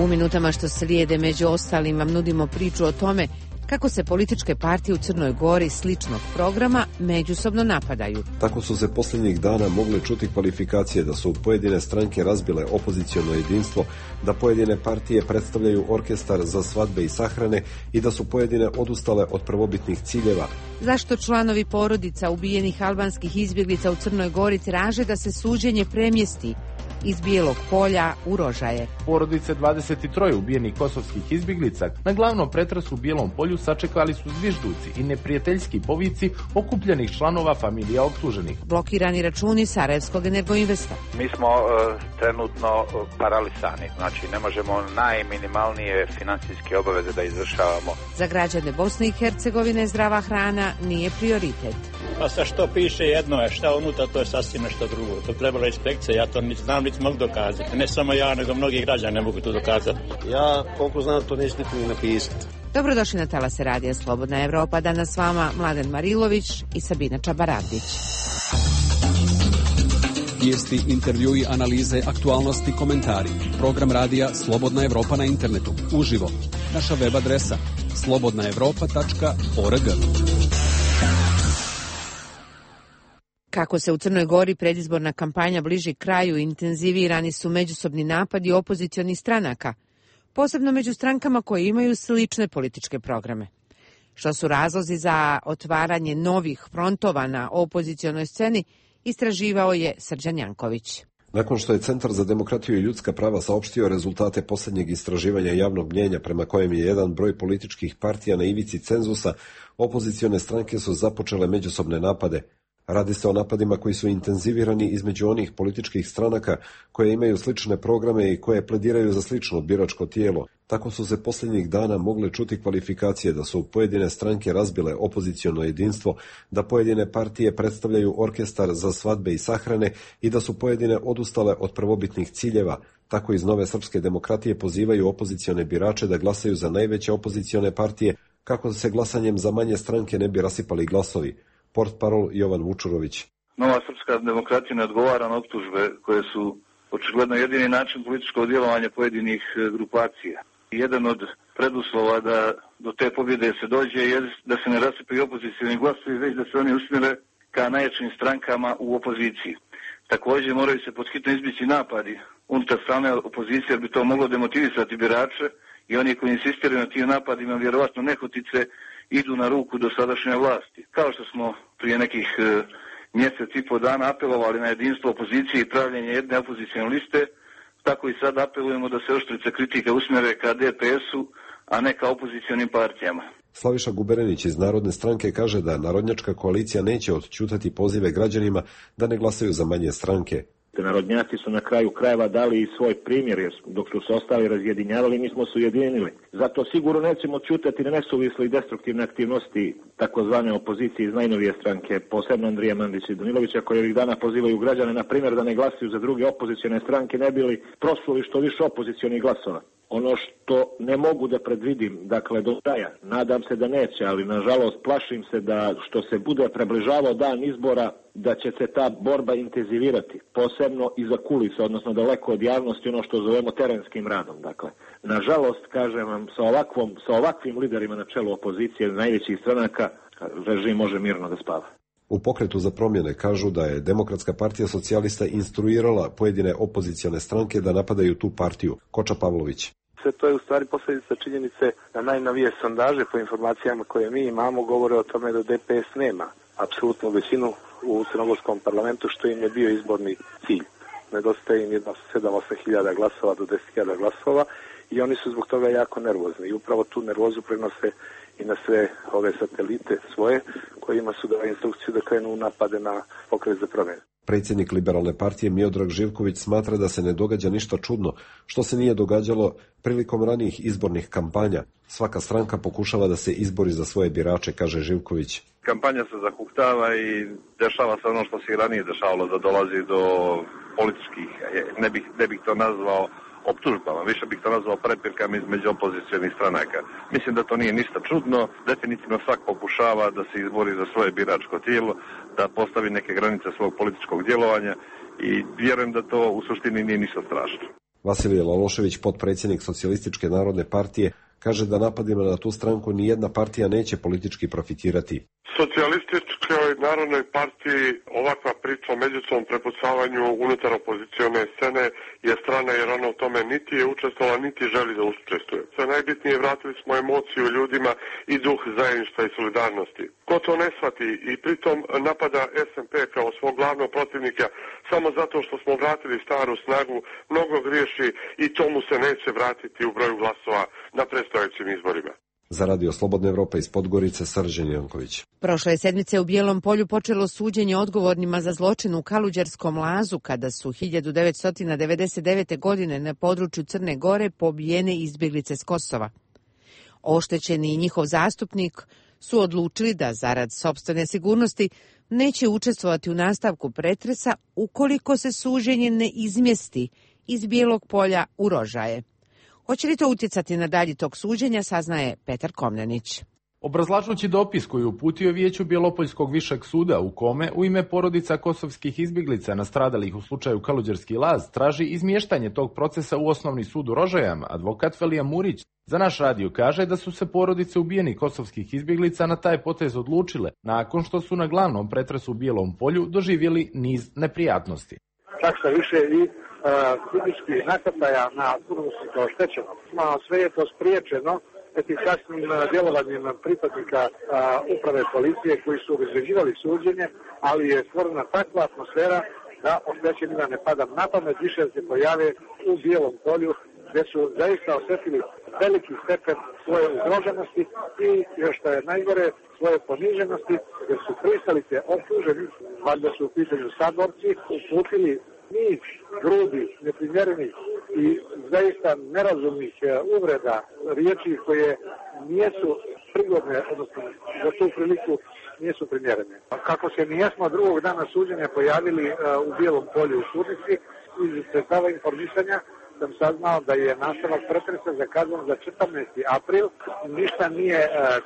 U minutama što slijede, među ostalim, vam nudimo priču o tome kako se političke partije u Crnoj Gori sličnog programa međusobno napadaju. Tako su se posljednjih dana mogle čuti kvalifikacije da su pojedine stranke razbile opoziciono jedinstvo, da pojedine partije predstavljaju orkestar za svadbe i sahrane i da su pojedine odustale od prvobitnih ciljeva. Zašto članovi porodica ubijenih albanskih izbjeglica u Crnoj Gori traže da se suđenje premjesti iz Bijelog polja u Rožaje? Porodice dvadeset tri ubijenih kosovskih izbjeglica na glavnom pretresu u Bijelom polju sačekali su zvižduci i neprijateljski povici okupljenih članova familija optuženih. Blokirani računi Sarajevskog Energoinvesta. Mi smo uh, trenutno paralisani, znači ne možemo najminimalnije financijske obaveze da izvršavamo. Za građane Bosne i Hercegovine zdrava hrana nije prioritet. Pa sa što piše jedno je, šta unutra, to je sasvim nešto drugo. To trebala inspekcija, ja to niti znam, niti mogu dokazati. Ne samo ja, nego mnogi građani ne mogu to dokazati. Ja, koliko znam, to neću ni napisati. Dobrodošli na talase Radija Slobodna Evropa. Danas s vama Mladen Marilović i Sabina Čabaradić. Vijesti, intervjui, analize, aktualnosti, komentari. Program Radija Slobodna Evropa na internetu. Uživo. Naša web adresa slobodna evropa tačka org. Kako se u Crnoj Gori predizborna kampanja bliži kraju, intenzivirani su međusobni napadi opozicionih stranaka, posebno među strankama koje imaju slične političke programe. Što su razlozi za otvaranje novih frontova na opozicionoj sceni, istraživao je Srđan Janković. Nakon što je Centar za demokratiju i ljudska prava saopštio rezultate posljednjeg istraživanja javnog mnjenja prema kojem je jedan broj političkih partija na ivici cenzusa, opozicione stranke su započele međusobne napade. Radi se o napadima koji su intenzivirani između onih političkih stranaka koje imaju slične programe i koje plediraju za slično biračko tijelo. Tako su se posljednjih dana mogle čuti kvalifikacije da su pojedine stranke razbile opoziciono jedinstvo, da pojedine partije predstavljaju orkestar za svadbe i sahrane i da su pojedine odustale od prvobitnih ciljeva. Tako iz Nove srpske demokratije pozivaju opozicione birače da glasaju za najveće opozicione partije kako se glasanjem za manje stranke ne bi rasipali glasovi. Portparol Jovan Vučurović. Nova srpska demokratija ne odgovara na optužbe koje su očigledno jedini način političkog djelovanja pojedinih grupacija. Jedan od preduslova da do te pobjede se dođe je da se ne rasipaju opozicioni glasovi, već da se oni usmjere ka najjačim strankama u opoziciji. Također moraju se podhitno izbjeći napadi unutar strane opozicije, jer bi to moglo demotivisati birače i oni koji insistiraju na tim napadima vjerovatno nehotice idu na ruku do sadašnje vlasti. Kao što smo prije nekih e, mjesec i po dana apelovali na jedinstvo opozicije i pravljenje jedne opozicione liste, tako i sad apelujemo da se oštrice kritika usmjere ka D P S-u, a ne ka opozicionim partijama. Slaviša Guberenić iz Narodne stranke kaže da Narodnjačka koalicija neće odćutati pozive građanima da ne glasaju za manje stranke. Narodnjaci su na kraju krajeva dali i svoj primjer, jer dok su se ostali razjedinjavali, mi smo se ujedinili. Zato sigurno nećemo ćutati na nesuvisle i destruktivne aktivnosti takozvane opozicije iz najnovije stranke, posebno Andrija Mandića i Danilovića, koji ovih dana pozivaju građane, na primjer, da ne glasuju za druge opozicione stranke, ne bili prosuli što više opozicionih glasova. Ono što ne mogu da predvidim, dakle do kraja, nadam se da neće, ali nažalost plašim se da što se bude približavao dan izbora, da će se ta borba intenzivirati, posebno iza kulisa, odnosno daleko od javnosti, ono što zovemo terenskim radom. Dakle, nažalost, kažem vam, sa, ovakvom, sa ovakvim liderima na čelu opozicije najvećih stranaka, režim može mirno da spava. U Pokretu za promjene kažu da je Demokratska partija socijalista instruirala pojedine opozicione stranke da napadaju tu partiju. Koča Pavlović. Sve to je u stvari posljedica činjenice da najnovije sondaže po informacijama koje mi imamo govore o tome da D P S nema apsolutnu većinu u crnogorskom parlamentu, što im je bio izborni cilj. nedostaje im jedno sedam osam hiljada glasova do deset hiljada glasova i oni su zbog toga jako nervozni i upravo tu nervozu prenose i na sve ove satelite svoje kojima su dali instrukciju da krenu napade na Pokret za promjene. Predsjednik Liberalne partije Miodrag Živković smatra da se ne događa ništa čudno, što se nije događalo prilikom ranijih izbornih kampanja. Svaka stranka pokušava da se izbori za svoje birače, kaže Živković. Kampanja se zahuktava i dešava se ono što se i ranije dešavalo, da dolazi do političkih, ne bih, ne bih to nazvao optužbama, više bih to nazvao prepirkama između opozicionih stranaka. Mislim da to nije ništa čudno, definitivno svak pokušava da se izbori za svoje biračko tijelo, da postavi neke granice svog političkog djelovanja i vjerujem da to u suštini nije ništa strašno. Vasilije Lalošević, potpredsjednik Socijalističke narodne partije, kaže da napadima na tu stranku nijedna partija neće politički profitirati. Socijalističkoj narodnoj partiji ovakva priča o međusobnom prepucavanju unutar opozicione scene je strana jer ona u tome niti je učestvovala, niti želi da učestvuje. Sve najbitnije, vratili smo emociju ljudima i duh zajedništva i solidarnosti. Ko to ne shvati i pritom napada es en pe kao svog glavnog protivnika samo zato što smo vratili staru snagu, mnogo griješi i to mu se neće vratiti u broju glasova na predstojećim izborima. Za Radio Slobodna Evropa iz Podgorice, Srđan Janković. Prošle sedmice u Bijelom polju počelo suđenje odgovornima za zločin u Kaluđerskom lazu, kada su hiljadu devetsto devedeset devete. godine na području Crne Gore pobijene izbjeglice s Kosova. Oštećeni i njihov zastupnik su odlučili da zarad sopstvene sigurnosti neće učestvovati u nastavku pretresa ukoliko se suđenje ne izmjesti iz Bijelog polja u Rožaje. Hoće li to utjecati na dalji tok suđenja, saznaje Petar Komnenić. Obrazlažući dopis koji je uputio Vijeću Bjelopoljskog višeg suda u kome u ime porodica kosovskih izbjeglica nastradalih u slučaju Kaluđerski laz traži izmještanje tog procesa u osnovni sud u Rožajama, advokat Velija Murić za naš radio kaže da su se porodice ubijenih kosovskih izbjeglica na taj potez odlučile nakon što su na glavnom pretresu u Bijelom polju doživjeli niz neprijatnosti. Čak sa više i fizičkih nasrtaja na turbulentsku oštećenost. Sve je to spriječeno efikasnim djelovanjem pripadnika a, uprave policije koji su obezbeđivali suđenje, ali je stvorena takva atmosfera da oštećenima ne pada na pamet više se pojave u Bijelom polju, gdje su zaista osjetili veliki stepen svoje ugroženosti i, još što je najgore, svoje poniženosti, jer su pristalice optuženi, valjda su u pitanju saborci, uputili niz grudi, neprimjerenih i zaista nerazumnih uvreda, riječi koje nijesu prigodne, odnosno za tu priliku nisu primjerene. Kako se nijesmo drugog dana suđenja pojavili u Bijelom polju u sudnici, iz sredstava informisanja sam saznao da je nastavak pretresa zakazan za četrnaesti april. Ništa nije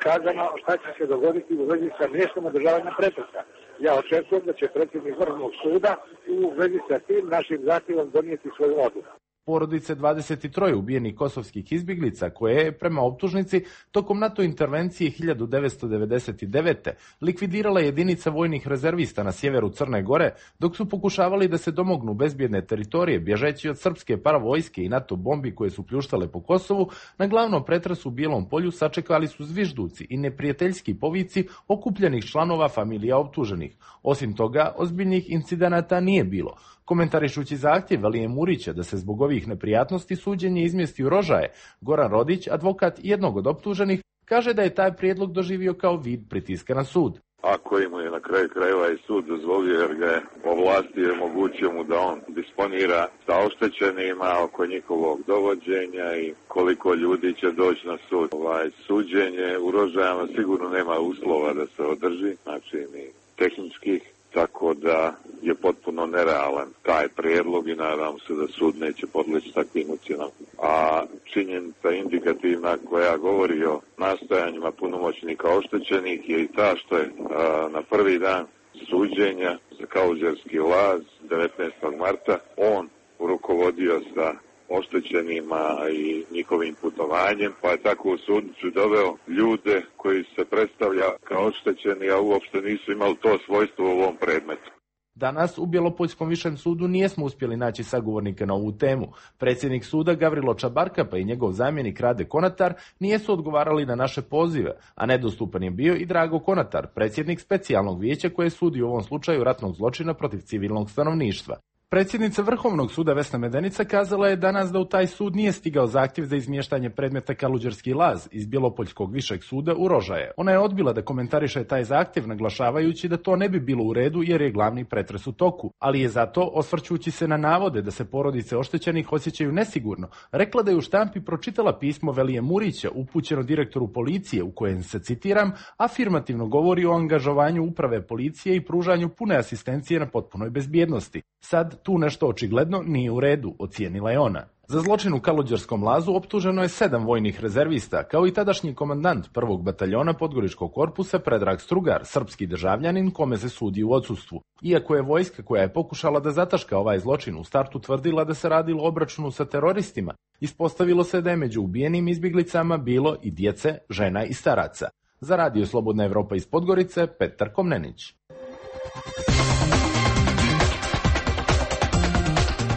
kazano šta će se dogoditi u vezi sa mjestom održavanja pretresa. Ja očekujem da će predsjednik Vrhovnog suda u vezi sa tim našim zahtjevom donijeti svoju odluku. Porodice dvadeset tri ubijenih kosovskih izbjeglica koje je, prema optužnici, tokom NATO intervencije hiljadu devetsto devedeset devete. likvidirala jedinica vojnih rezervista na sjeveru Crne Gore, dok su pokušavali da se domognu bezbjedne teritorije bježeći od srpske paravojske i NATO bombi koje su pljuštale po Kosovu, na glavnom pretresu u Bijelom polju sačekali su zvižduci i neprijateljski povici okupljenih članova familija optuženih. Osim toga, ozbiljnih incidenata nije bilo. Komentarišući zahtjev Velije Murića da se zbog ovih neprijatnosti suđenje izmjesti u Rožaje, Goran Rodić, advokat jednog od optuženih, kaže da je taj prijedlog doživio kao vid pritiska na sud. Ako mu je na kraju krajeva i sud dozvolio jer ga je ovlastio i omogućio mu da on disponira sa oštećenima oko njihovog dovođenja i koliko ljudi će doći na sud. Ovaj suđenje u Rožajama sigurno nema uslova da se održi, znači ni tehničkih, tako da je potpuno nerealan taj prijedlog i nadam se da sud neće podleći takvim ucjenama. A činjenica indikativna koja govori o nastojanjima punomoćnika oštećenih je i ta što je a, na prvi dan suđenja za Kaluđerski laz devetnaestog marta on rukovodio sa oštećenima i njihovim putovanjem, pa je tako u sudnicu doveo ljude koji se predstavlja kao oštećeni, a uopšte nisu imali to svojstvo u ovom predmetu. Danas u Bjelopoljskom višem sudu nijesmo uspjeli naći sagovornike na ovu temu. Predsjednik suda Gavrilo Čabarka pa i njegov zamjenik Rade Konatar nijesu odgovarali na naše pozive, a nedostupan je bio i Drago Konatar, predsjednik specijalnog vijeća koje sudi u ovom slučaju ratnog zločina protiv civilnog stanovništva. Predsjednica Vrhovnog suda Vesna Medenica kazala je danas da u taj sud nije stigao zahtjev za izmještanje predmeta Kaluđerski laz iz Bjelopoljskog višeg suda u Rožaje. Ona je odbila da komentariše taj zahtjev, naglašavajući da to ne bi bilo u redu jer je glavni pretres u toku, ali je zato, osvrćući se na navode da se porodice oštećenih osjećaju nesigurno, rekla da je u štampi pročitala pismo Velije Murića upućeno direktoru policije u kojem se, citiram, afirmativno govori o angažovanju uprave policije i pružanju pune asistencije na potpunoj bezbjednosti. Sad tu nešto očigledno nije u redu, ocijenila je ona. Za zločin u Kaluđerskom lazu optuženo je sedam vojnih rezervista, kao i tadašnji komandant prvog bataljona Podgoričkog korpusa Predrag Strugar, srpski državljanin kome se sudi u odsustvu. Iako je vojska koja je pokušala da zataška ovaj zločin u startu tvrdila da se radilo o obračunu sa teroristima, ispostavilo se da je među ubijenim izbjeglicama bilo i djece, žena i staraca. Za Radio Slobodna Evropa iz Podgorice, Petar Komnenić.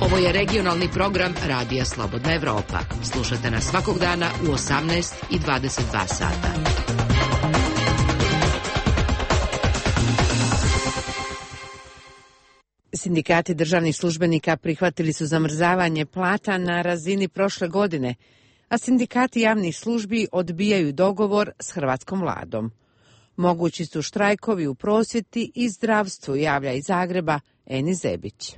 Ovo je regionalni program Radija Slobodna Evropa. Slušajte nas svakog dana u osamnaest i dvadeset dva sata. Sindikati državnih službenika prihvatili su zamrzavanje plata na razini prošle godine, a sindikati javnih službi odbijaju dogovor s hrvatskom vladom. Mogući su štrajkovi u prosvjeti i zdravstvu, javlja iz Zagreba Eni Zebić.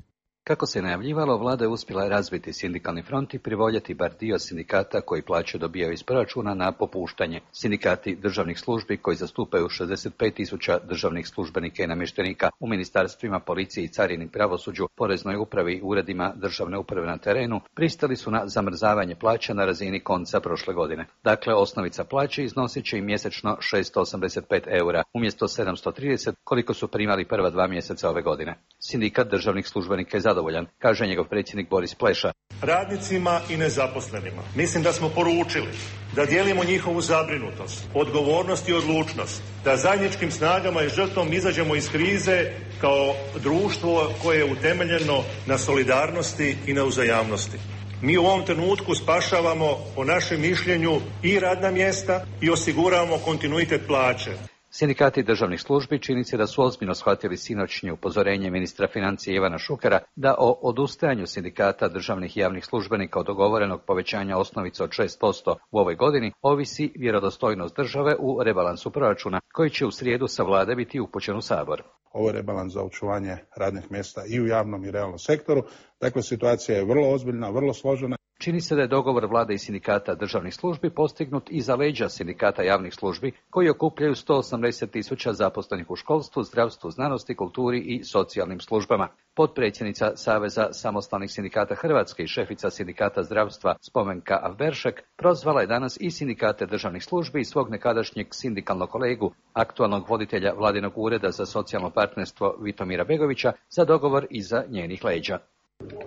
Kako se najavljivalo, vlada je uspjela razviti sindikalni front i privoljeti bar dio sindikata koji plaće dobijaju iz proračuna na popuštanje. Sindikati državnih službi koji zastupaju šezdeset pet tisuća državnih službenika i namještenika u ministarstvima, policiji i carini, pravosuđu, poreznoj upravi i uredima državne uprave na terenu pristali su na zamrzavanje plaća na razini konca prošle godine. Dakle, osnovica plaće iznosit će i mjesečno šesto osamdeset pet eura umjesto sedamsto trideset koliko su primali prva dva mjeseca ove godine. Sindikat državnih službenika je zadovoljan, kaže njegov predsjednik Boris Pleša. Radnicima i nezaposlenima mislim da smo poručili da dijelimo njihovu zabrinutost, odgovornost i odlučnost, da zajedničkim snagama i žrtvom izađemo iz krize kao društvo koje je utemeljeno na solidarnosti i na uzajamnosti. Mi u ovom trenutku spašavamo, po našem mišljenju, i radna mjesta i osiguravamo kontinuitet plaće. Sindikati državnih službi čini se da su ozbiljno shvatili sinoćnje upozorenje ministra financija Ivana Šukera da o odustajanju sindikata državnih i javnih službenika od dogovorenog povećanja osnovice od šest posto u ovoj godini ovisi vjerodostojnost države u rebalansu proračuna koji će u srijedu sa vlade biti upućen u Sabor. Ovo je rebalans za očuvanje radnih mjesta i u javnom i realnom sektoru. Dakle, situacija je vrlo ozbiljna, vrlo složena. Čini se da je dogovor vlade i sindikata državnih službi postignut iza leđa sindikata javnih službi koji okupljaju sto osamdeset tisuća zaposlenih u školstvu, zdravstvu, znanosti, kulturi i socijalnim službama. Potpredsjednica Saveza samostalnih sindikata Hrvatske i šefica sindikata zdravstva Spomenka Avberšek prozvala je danas i sindikate državnih službi i svog nekadašnjeg sindikalnog kolegu, aktualnog voditelja vladinog ureda za socijalno partnerstvo Vitomira Begovića, za dogovor iza njenih leđa.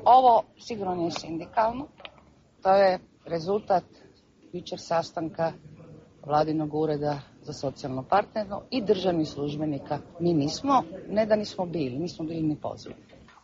Ovo sigurno nije sindikalno. To je rezultat jučer sastanka vladinog ureda za socijalno partnerstvo i državnih službenika. Mi nismo, ne da nismo bili, nismo bili ni pozvani.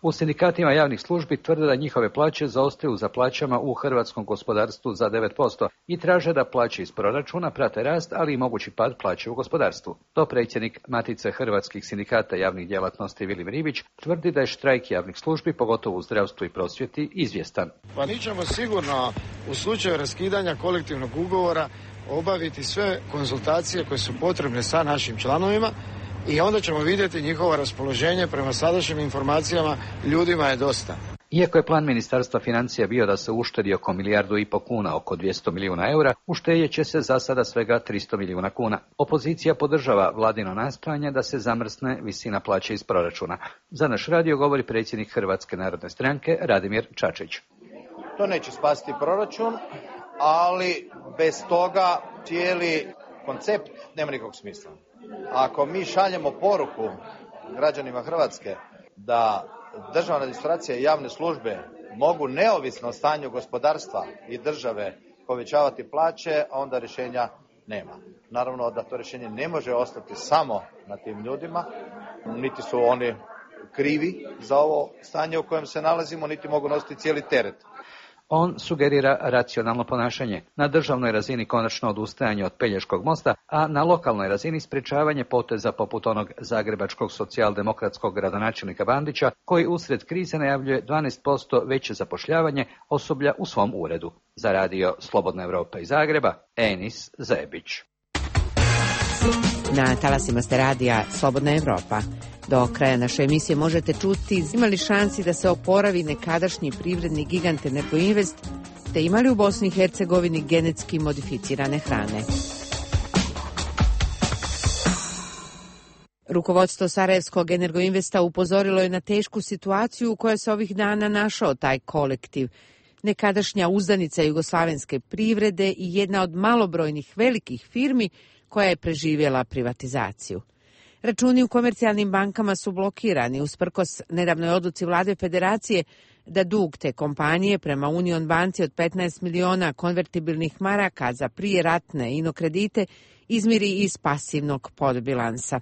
U sindikatima javnih službi tvrde da njihove plaće zaostaju za plaćama u hrvatskom gospodarstvu za devet posto i traže da plaće iz proračuna prate rast, ali i mogući pad plaće u gospodarstvu. To predsjednik Matice hrvatskih sindikata javnih djelatnosti Vilim Ribić tvrdi da je štrajk javnih službi, pogotovo u zdravstvu i prosvjeti, izvjestan. Pa mi ćemo sigurno u slučaju raskidanja kolektivnog ugovora obaviti sve konzultacije koje su potrebne sa našim članovima i onda ćemo vidjeti njihovo raspoloženje. Prema sadašnjim informacijama ljudima je dosta. Iako je plan Ministarstva financija bio da se uštedi oko milijardu i po kuna, oko dvjesto milijuna eura, uštedjet će se za sada svega tristo milijuna kuna. Opozicija podržava vladino nastojanje da se zamrzne visina plaće iz proračuna. Za naš radio govori predsjednik Hrvatske narodne stranke Radimir Čačić. To neće spasiti proračun, ali bez toga cijeli koncept nema nikakvog smisla. Ako mi šaljemo poruku građanima Hrvatske da državna administracija i javne službe mogu neovisno o stanju gospodarstva i države povećavati plaće, onda rješenja nema. Naravno da to rješenje ne može ostati samo na tim ljudima, niti su oni krivi za ovo stanje u kojem se nalazimo, niti mogu nositi cijeli teret. On sugerira racionalno ponašanje, na državnoj razini konačno odustajanje od Pelješkog mosta, a na lokalnoj razini sprječavanje poteza poput onog zagrebačkog socijaldemokratskog gradonačelnika Bandića, koji usred krize najavljuje dvanaest posto veće zapošljavanje osoblja u svom uredu. Za radio Slobodna Evropa iz Zagreba, Enis Zebić. Na talasima ste radija Slobodna Evropa. Do kraja naše emisije možete čuti imali šansi da se oporavi nekadašnji privredni gigant Energoinvest, te imali u Bosni i Hercegovini genetski modificirane hrane. Rukovodstvo Sarajevskog Energoinvesta upozorilo je na tešku situaciju u kojoj se ovih dana našao taj kolektiv. Nekadašnja uzdanica jugoslavenske privrede i jedna od malobrojnih velikih firmi koja je preživjela privatizaciju. Računi u komercijalnim bankama su blokirani usprkos nedavnoj odluci vlade federacije da dug te kompanije prema Union banci od petnaest miliona konvertibilnih maraka za prijeratne inokredite izmiri iz pasivnog podbilansa.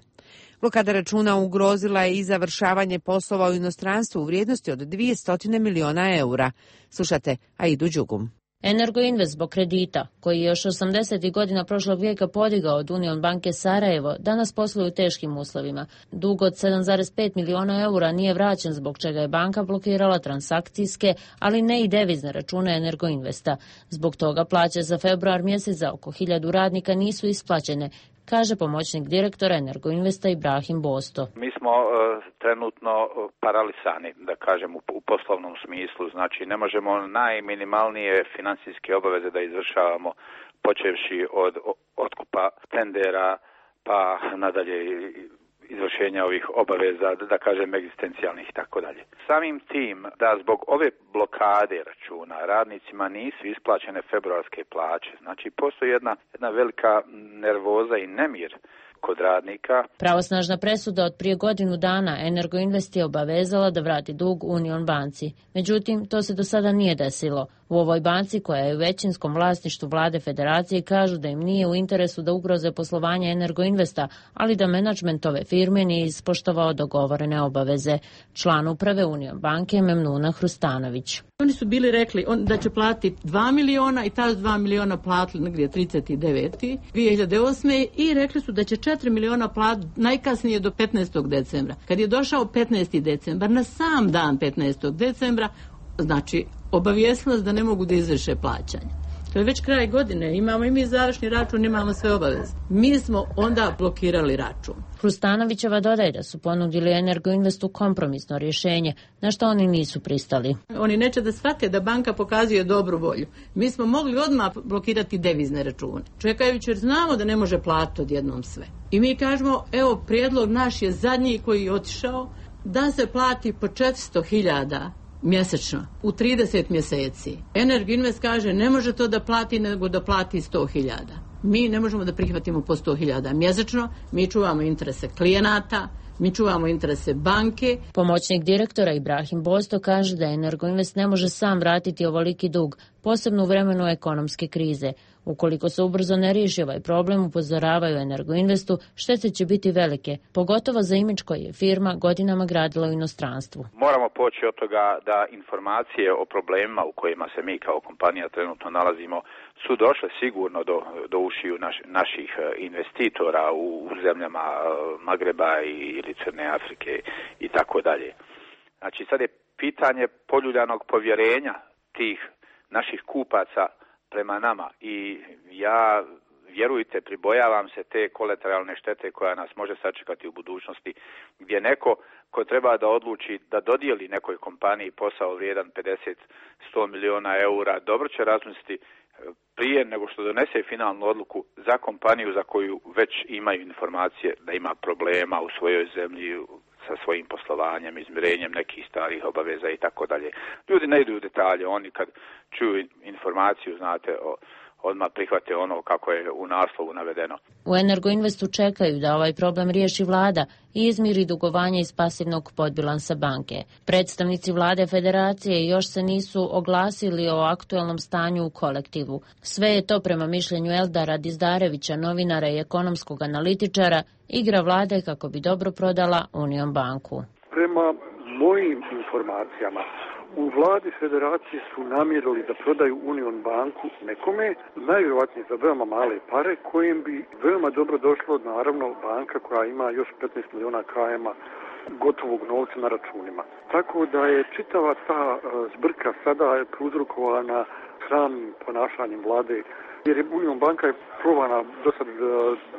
Blokada računa ugrozila je i završavanje poslova u inostranstvu u vrijednosti od dvjesto miliona eura. Slušate Aidu Đugum. Energoinvest zbog kredita, koji je još osamdesetih godina prošlog vijeka podigao od Union banke Sarajevo, danas posluje u teškim uslovima. Dug od sedam zarez pet miliona eura nije vraćen, zbog čega je banka blokirala transakcijske, ali ne i devizne račune Energoinvesta. Zbog toga plaće za februar mjesec za oko hiljadu radnika nisu isplaćene, kaže pomoćnik direktora Energoinvesta Ibrahim Bosto. Mi smo uh, trenutno paralisani, da kažem, u, u poslovnom smislu. Znači, ne možemo najminimalnije financijske obaveze da izvršavamo, počevši od otkupa tendera, pa nadalje izvršenja ovih obaveza, da kažem, egzistencijalnih i tako dalje. Samim tim da zbog ove blokade računa radnicima nisu isplaćene februarske plaće. Znači, postoji jedna, jedna velika nervoza i nemir kod radnika. Pravosnažna presuda od prije godinu dana Energoinvest je obavezala da vrati dug Union banci. Međutim, to se do sada nije desilo. U ovoj banci, koja je u većinskom vlasništvu vlade federacije, kažu da im nije u interesu da ugroze poslovanje Energoinvesta, ali da menadžment ove firme nije ispoštovao dogovorene obaveze. Član uprave Union banke Memnuna Hrustanović. Oni su bili rekli on, da će platiti dva miliona i ta dva miliona platili negdje trideset devete dvije hiljade osme i rekli su da će četiri miliona platiti najkasnije do petnaestog decembra. Kad je došao petnaesti decembar, na sam dan petnaestog decembra, znači obavijestilo da ne mogu da izvrše plaćanje. To je već kraj godine, imamo i mi završni račun, imamo sve obaveze. Mi smo onda blokirali račun. Hrustanovićeva dodaje da su ponudili Energoinvestu kompromisno rješenje, na što oni nisu pristali. Oni neće da shvate da banka pokazuje dobru volju. Mi smo mogli odmah blokirati devizne račune, čekajući jer znamo da ne može platiti odjednom sve. I mi kažemo, evo, prijedlog naš je zadnji koji je otišao, da se plati po četiristo hiljada mjesečno, u trideset mjeseci. Energoinvest kaže ne može to da plati, nego da plati sto hiljada. Mi ne možemo da prihvatimo po sto hiljada mjesečno, mi čuvamo interese klijenata, mi čuvamo interese banke. Pomoćnik direktora Ibrahim Bosto kaže da Energoinvest ne može sam vratiti ovoliki dug, posebno u vremenu ekonomske krize. Ukoliko se ubrzo ne riješi ovaj problem, upozoravaju Energoinvestu, štete će biti velike, pogotovo za imidž koji je firma godinama gradila u inostranstvu. Moramo poći od toga da informacije o problemima u kojima se mi kao kompanija trenutno nalazimo su došle sigurno do, do ušiju naš, naših investitora u, u zemljama Magreba ili Crne Afrike i tako dalje. Znači, sad je pitanje poljuljanog povjerenja tih naših kupaca prema nama i ja, vjerujte, pribojavam se te kolateralne štete koja nas može sačekati u budućnosti, gdje neko ko treba da odluči da dodijeli nekoj kompaniji posao vrijedan pedeset do sto miliona eura, dobro će razmisliti prije nego što donese finalnu odluku za kompaniju za koju već imaju informacije da ima problema u svojoj zemlji sa svojim poslovanjem, izmirenjem nekih starih obaveza i tako dalje. Ljudi ne idu u detalje, oni kad čuju informaciju, znate, o, odmah prihvate ono kako je u naslovu navedeno. U Energoinvestu čekaju da ovaj problem riješi vlada i izmiri dugovanje iz pasivnog podbilansa banke. Predstavnici vlade federacije još se nisu oglasili o aktualnom stanju u kolektivu. Sve je to prema mišljenju Eldara Dizdarevića, novinara i ekonomskog analitičara, igra vlade kako bi dobro prodala Union banku. Prema mojim informacijama, U vladi federacije su namjerili da prodaju Union banku nekome, najvjerojatnije za veoma male pare, kojim bi veoma dobro došlo, naravno, banka koja ima još petnaest miliona kajema gotovog novca na računima. Tako da je čitava ta zbrka sada prouzrokovana sramnim ponašanjem vlade, jer je Union banka je probana do sad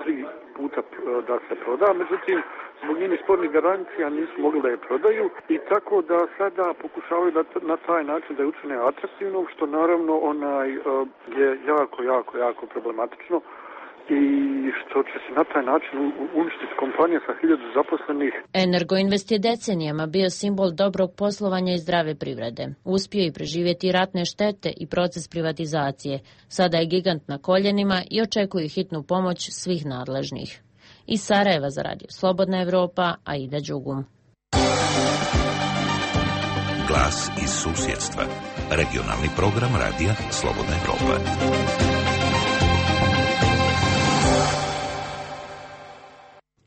tri puta da se proda, međutim, zbog njenih spornih garancija nisu mogli da je prodaju i tako da sada pokušavaju da na taj način da je učine atraktivnom, što naravno onaj je jako, jako, jako problematično i što će se na taj način uništiti kompanija sa hiljadu zaposlenih. Energoinvest je decenijama bio simbol dobrog poslovanja i zdrave privrede. Uspio je preživjeti ratne štete i proces privatizacije. Sada je gigant na koljenima i očekuje hitnu pomoć svih nadležnih. Iz Sarajeva za radio Slobodna Evropa, Aida Đugum. Glas iz susjedstva. Regionalni program radija Slobodna Evropa.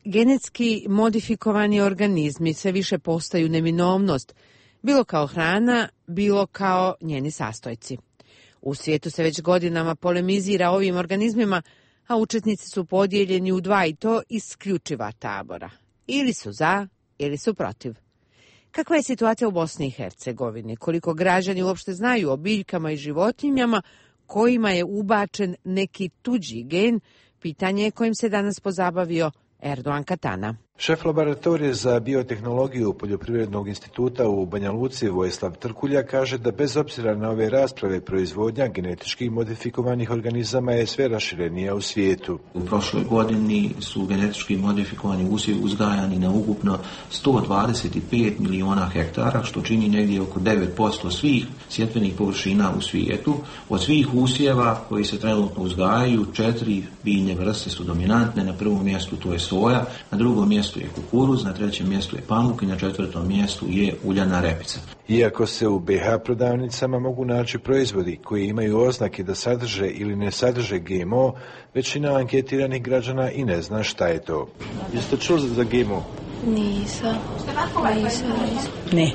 Genetski modifikovani organizmi sve više postaju neminovnost, bilo kao hrana, bilo kao njeni sastojci. U svijetu se već godinama polemizira ovim organizmima, a učesnici su podijeljeni u dva i to isključiva tabora. Ili su za, ili su protiv. Kakva je situacija u Bosni i Hercegovini? Koliko građani uopšte znaju o biljkama i životinjama kojima je ubačen neki tuđi gen? Pitanje je kojim se danas pozabavio Erdogan Katana. Šef laboratorije za biotehnologiju Poljoprivrednog instituta u Banja Luci Vojislav Trkulja kaže da bez obzira na ove rasprave proizvodnja genetički modifikovanih organizama je sve raširenija u svijetu. U prošloj godini su genetički modifikovani usjevi uzgajani na ukupno sto dvadeset pet miliona hektara, što čini negdje oko devet posto svih sjetvenih površina u svijetu. Od svih usjeva koji se trenutno uzgajaju, četiri biljne vrste su dominantne. Na prvom mjestu to je soja, na drugom mjestu je kukuruz, na trećem mjestu je pamuk i na četvrtom mjestu je uljana repica. Iako se u be ha prodavnicama mogu naći proizvodi koji imaju oznake da sadrže ili ne sadrže ge em o, većina anketiranih građana i ne zna šta je to. Jeste čuli za ge em o? Nisam. Nisam. Ne.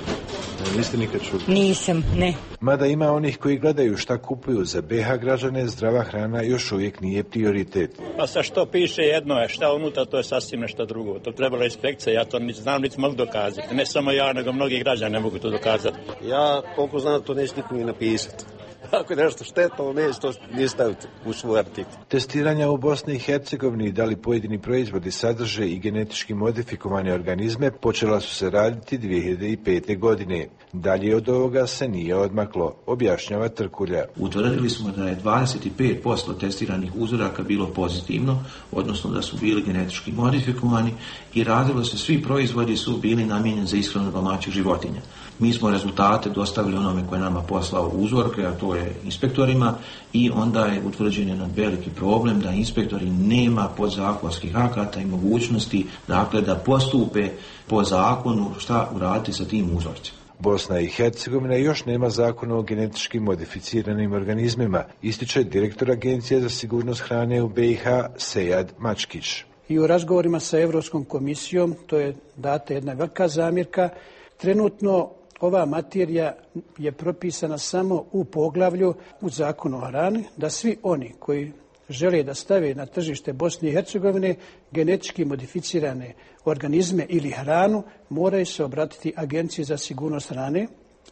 Niste nikad čuli? Nisam, ne. Mada ima onih koji gledaju šta kupuju za be ha građane, zdrava hrana još uvijek nije prioritet. Pa sa što piše jedno je, šta unutra, to je sasvim nešto drugo. To trebala inspekcija, ja to niti znam, niti mogu dokazati. Ne samo ja, nego mnogi građani ne mogu to dokazati. Ja, koliko znam, to neće niko ni napisati. Ako je nešto štetno, neće to ni staviti u svoj artikl. Testiranja u Bosni i Hercegovini da li pojedini proizvodi sadrže i genetički modifikovane organizme počela su se raditi dvije hiljade pete. godine. Dalje od ovoga se nije odmaklo, objašnjava Trkulja. Utvrdili smo da je dvadeset pet posto testiranih uzoraka bilo pozitivno, odnosno da su bili genetički modifikovani i radilo se, svi proizvodi su bili namijenjeni za ishranu domaćih životinja. Mi smo rezultate dostavili onome koje nama poslao uzorke, a to je inspektorima, i onda je utvrđen jedan veliki problem da inspektori nema podzakonskih akata i mogućnosti, dakle, da postupe po zakonu šta uraditi sa tim uzorcima. Bosna i Hercegovina još nema zakona o genetički modificiranim organizmima, ističe direktor Agencije za sigurnost hrane u be ha Sejad Mačkić. I u razgovorima sa Europskom komisijom to je data jedna velika zamjerka. Trenutno ova materija je propisana samo u poglavlju u zakonu o hrani, da svi oni koji žele da stave na tržište Bosne i Hercegovine genetički modificirane organizme ili hranu, moraju se obratiti Agenciji za sigurnost hrane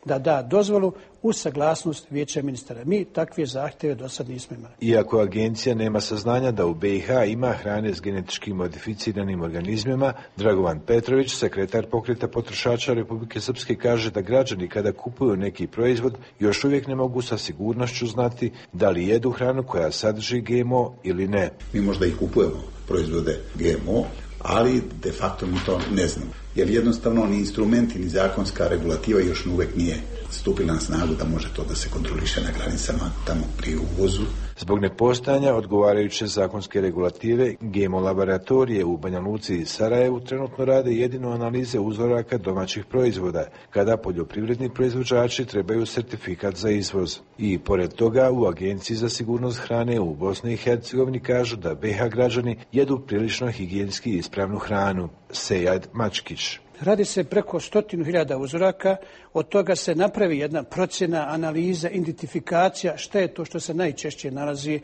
da da dozvolu uz saglasnost Vijeća ministara. Mi takve zahtjeve do sad nismo imali. Iako agencija nema saznanja da u be ha ima hrane s genetički modificiranim organizmima, Dragovan Petrović, sekretar Pokreta potrošača Republike Srpske, kaže da građani kada kupuju neki proizvod još uvijek ne mogu sa sigurnošću znati da li jedu hranu koja sadrži ge em o ili ne. Mi možda i kupujemo proizvode ge em o, ali de facto mi to ne znamo. Jer jednostavno ni instrumenti, ni zakonska regulativa još uvijek nije stupila na snagu da može to da se kontroliše na granicama tamo pri uvozu. Zbog nepostojanja odgovarajuće zakonske regulative, ge em o laboratorije u Banja Luci i Sarajevu trenutno rade jedino analize uzoraka domaćih proizvoda, kada poljoprivredni proizvođači trebaju sertifikat za izvoz. I pored toga, u Agenciji za sigurnost hrane u Bosni i Hercegovini kažu da be ha građani jedu prilično higijenski ispravnu hranu. Sejad Mačkić. Radi se preko stotinu hiljada uzoraka od toga se napravi jedna procjena, analiza, identifikacija šta je to što se najčešće nalazi,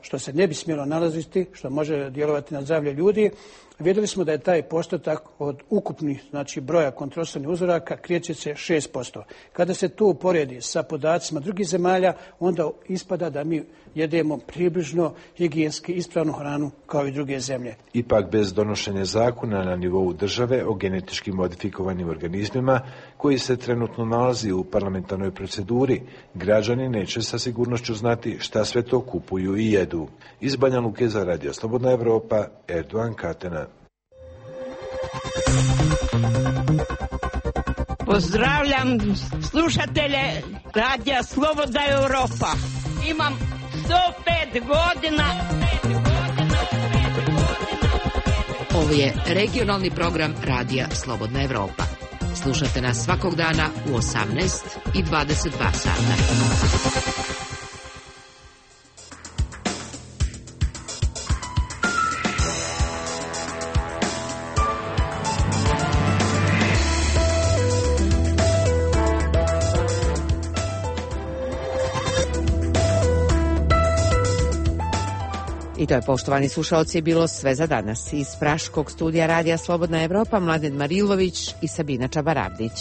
što se ne bi smjelo nalaziti, što može djelovati na zdravlje ljudi. Vidjeli smo da je taj postotak od ukupnih, znači broja kontrolisanih uzoraka kreće se šest posto. Kada se to uporedi sa podacima drugih zemalja, onda ispada da mi jedemo približno higijenski ispravnu hranu kao i druge zemlje. Ipak bez donošenja zakona na nivou države o genetički modifikovanim organizmima koji se trenutno nalazi u parlamentarnoj proceduri, građani neće sa sigurnošću znati šta sve to kupuju i jedu. Iz Banja Luke za Radio Slobodna Evropa, Erdogan Katena. Pozdravljam slušatelje Radija Slobodna Evropa. Imam sto pet godina. Ovo je regionalni program Radija Slobodna Evropa. Slušate nas svakog dana u osamnaest i dvadeset dva sata. I to je, poštovani slušalci, bilo sve za danas. Iz Praškog studija Radija Slobodna Evropa, Mladen Marilović i Sabina Čabaravdić.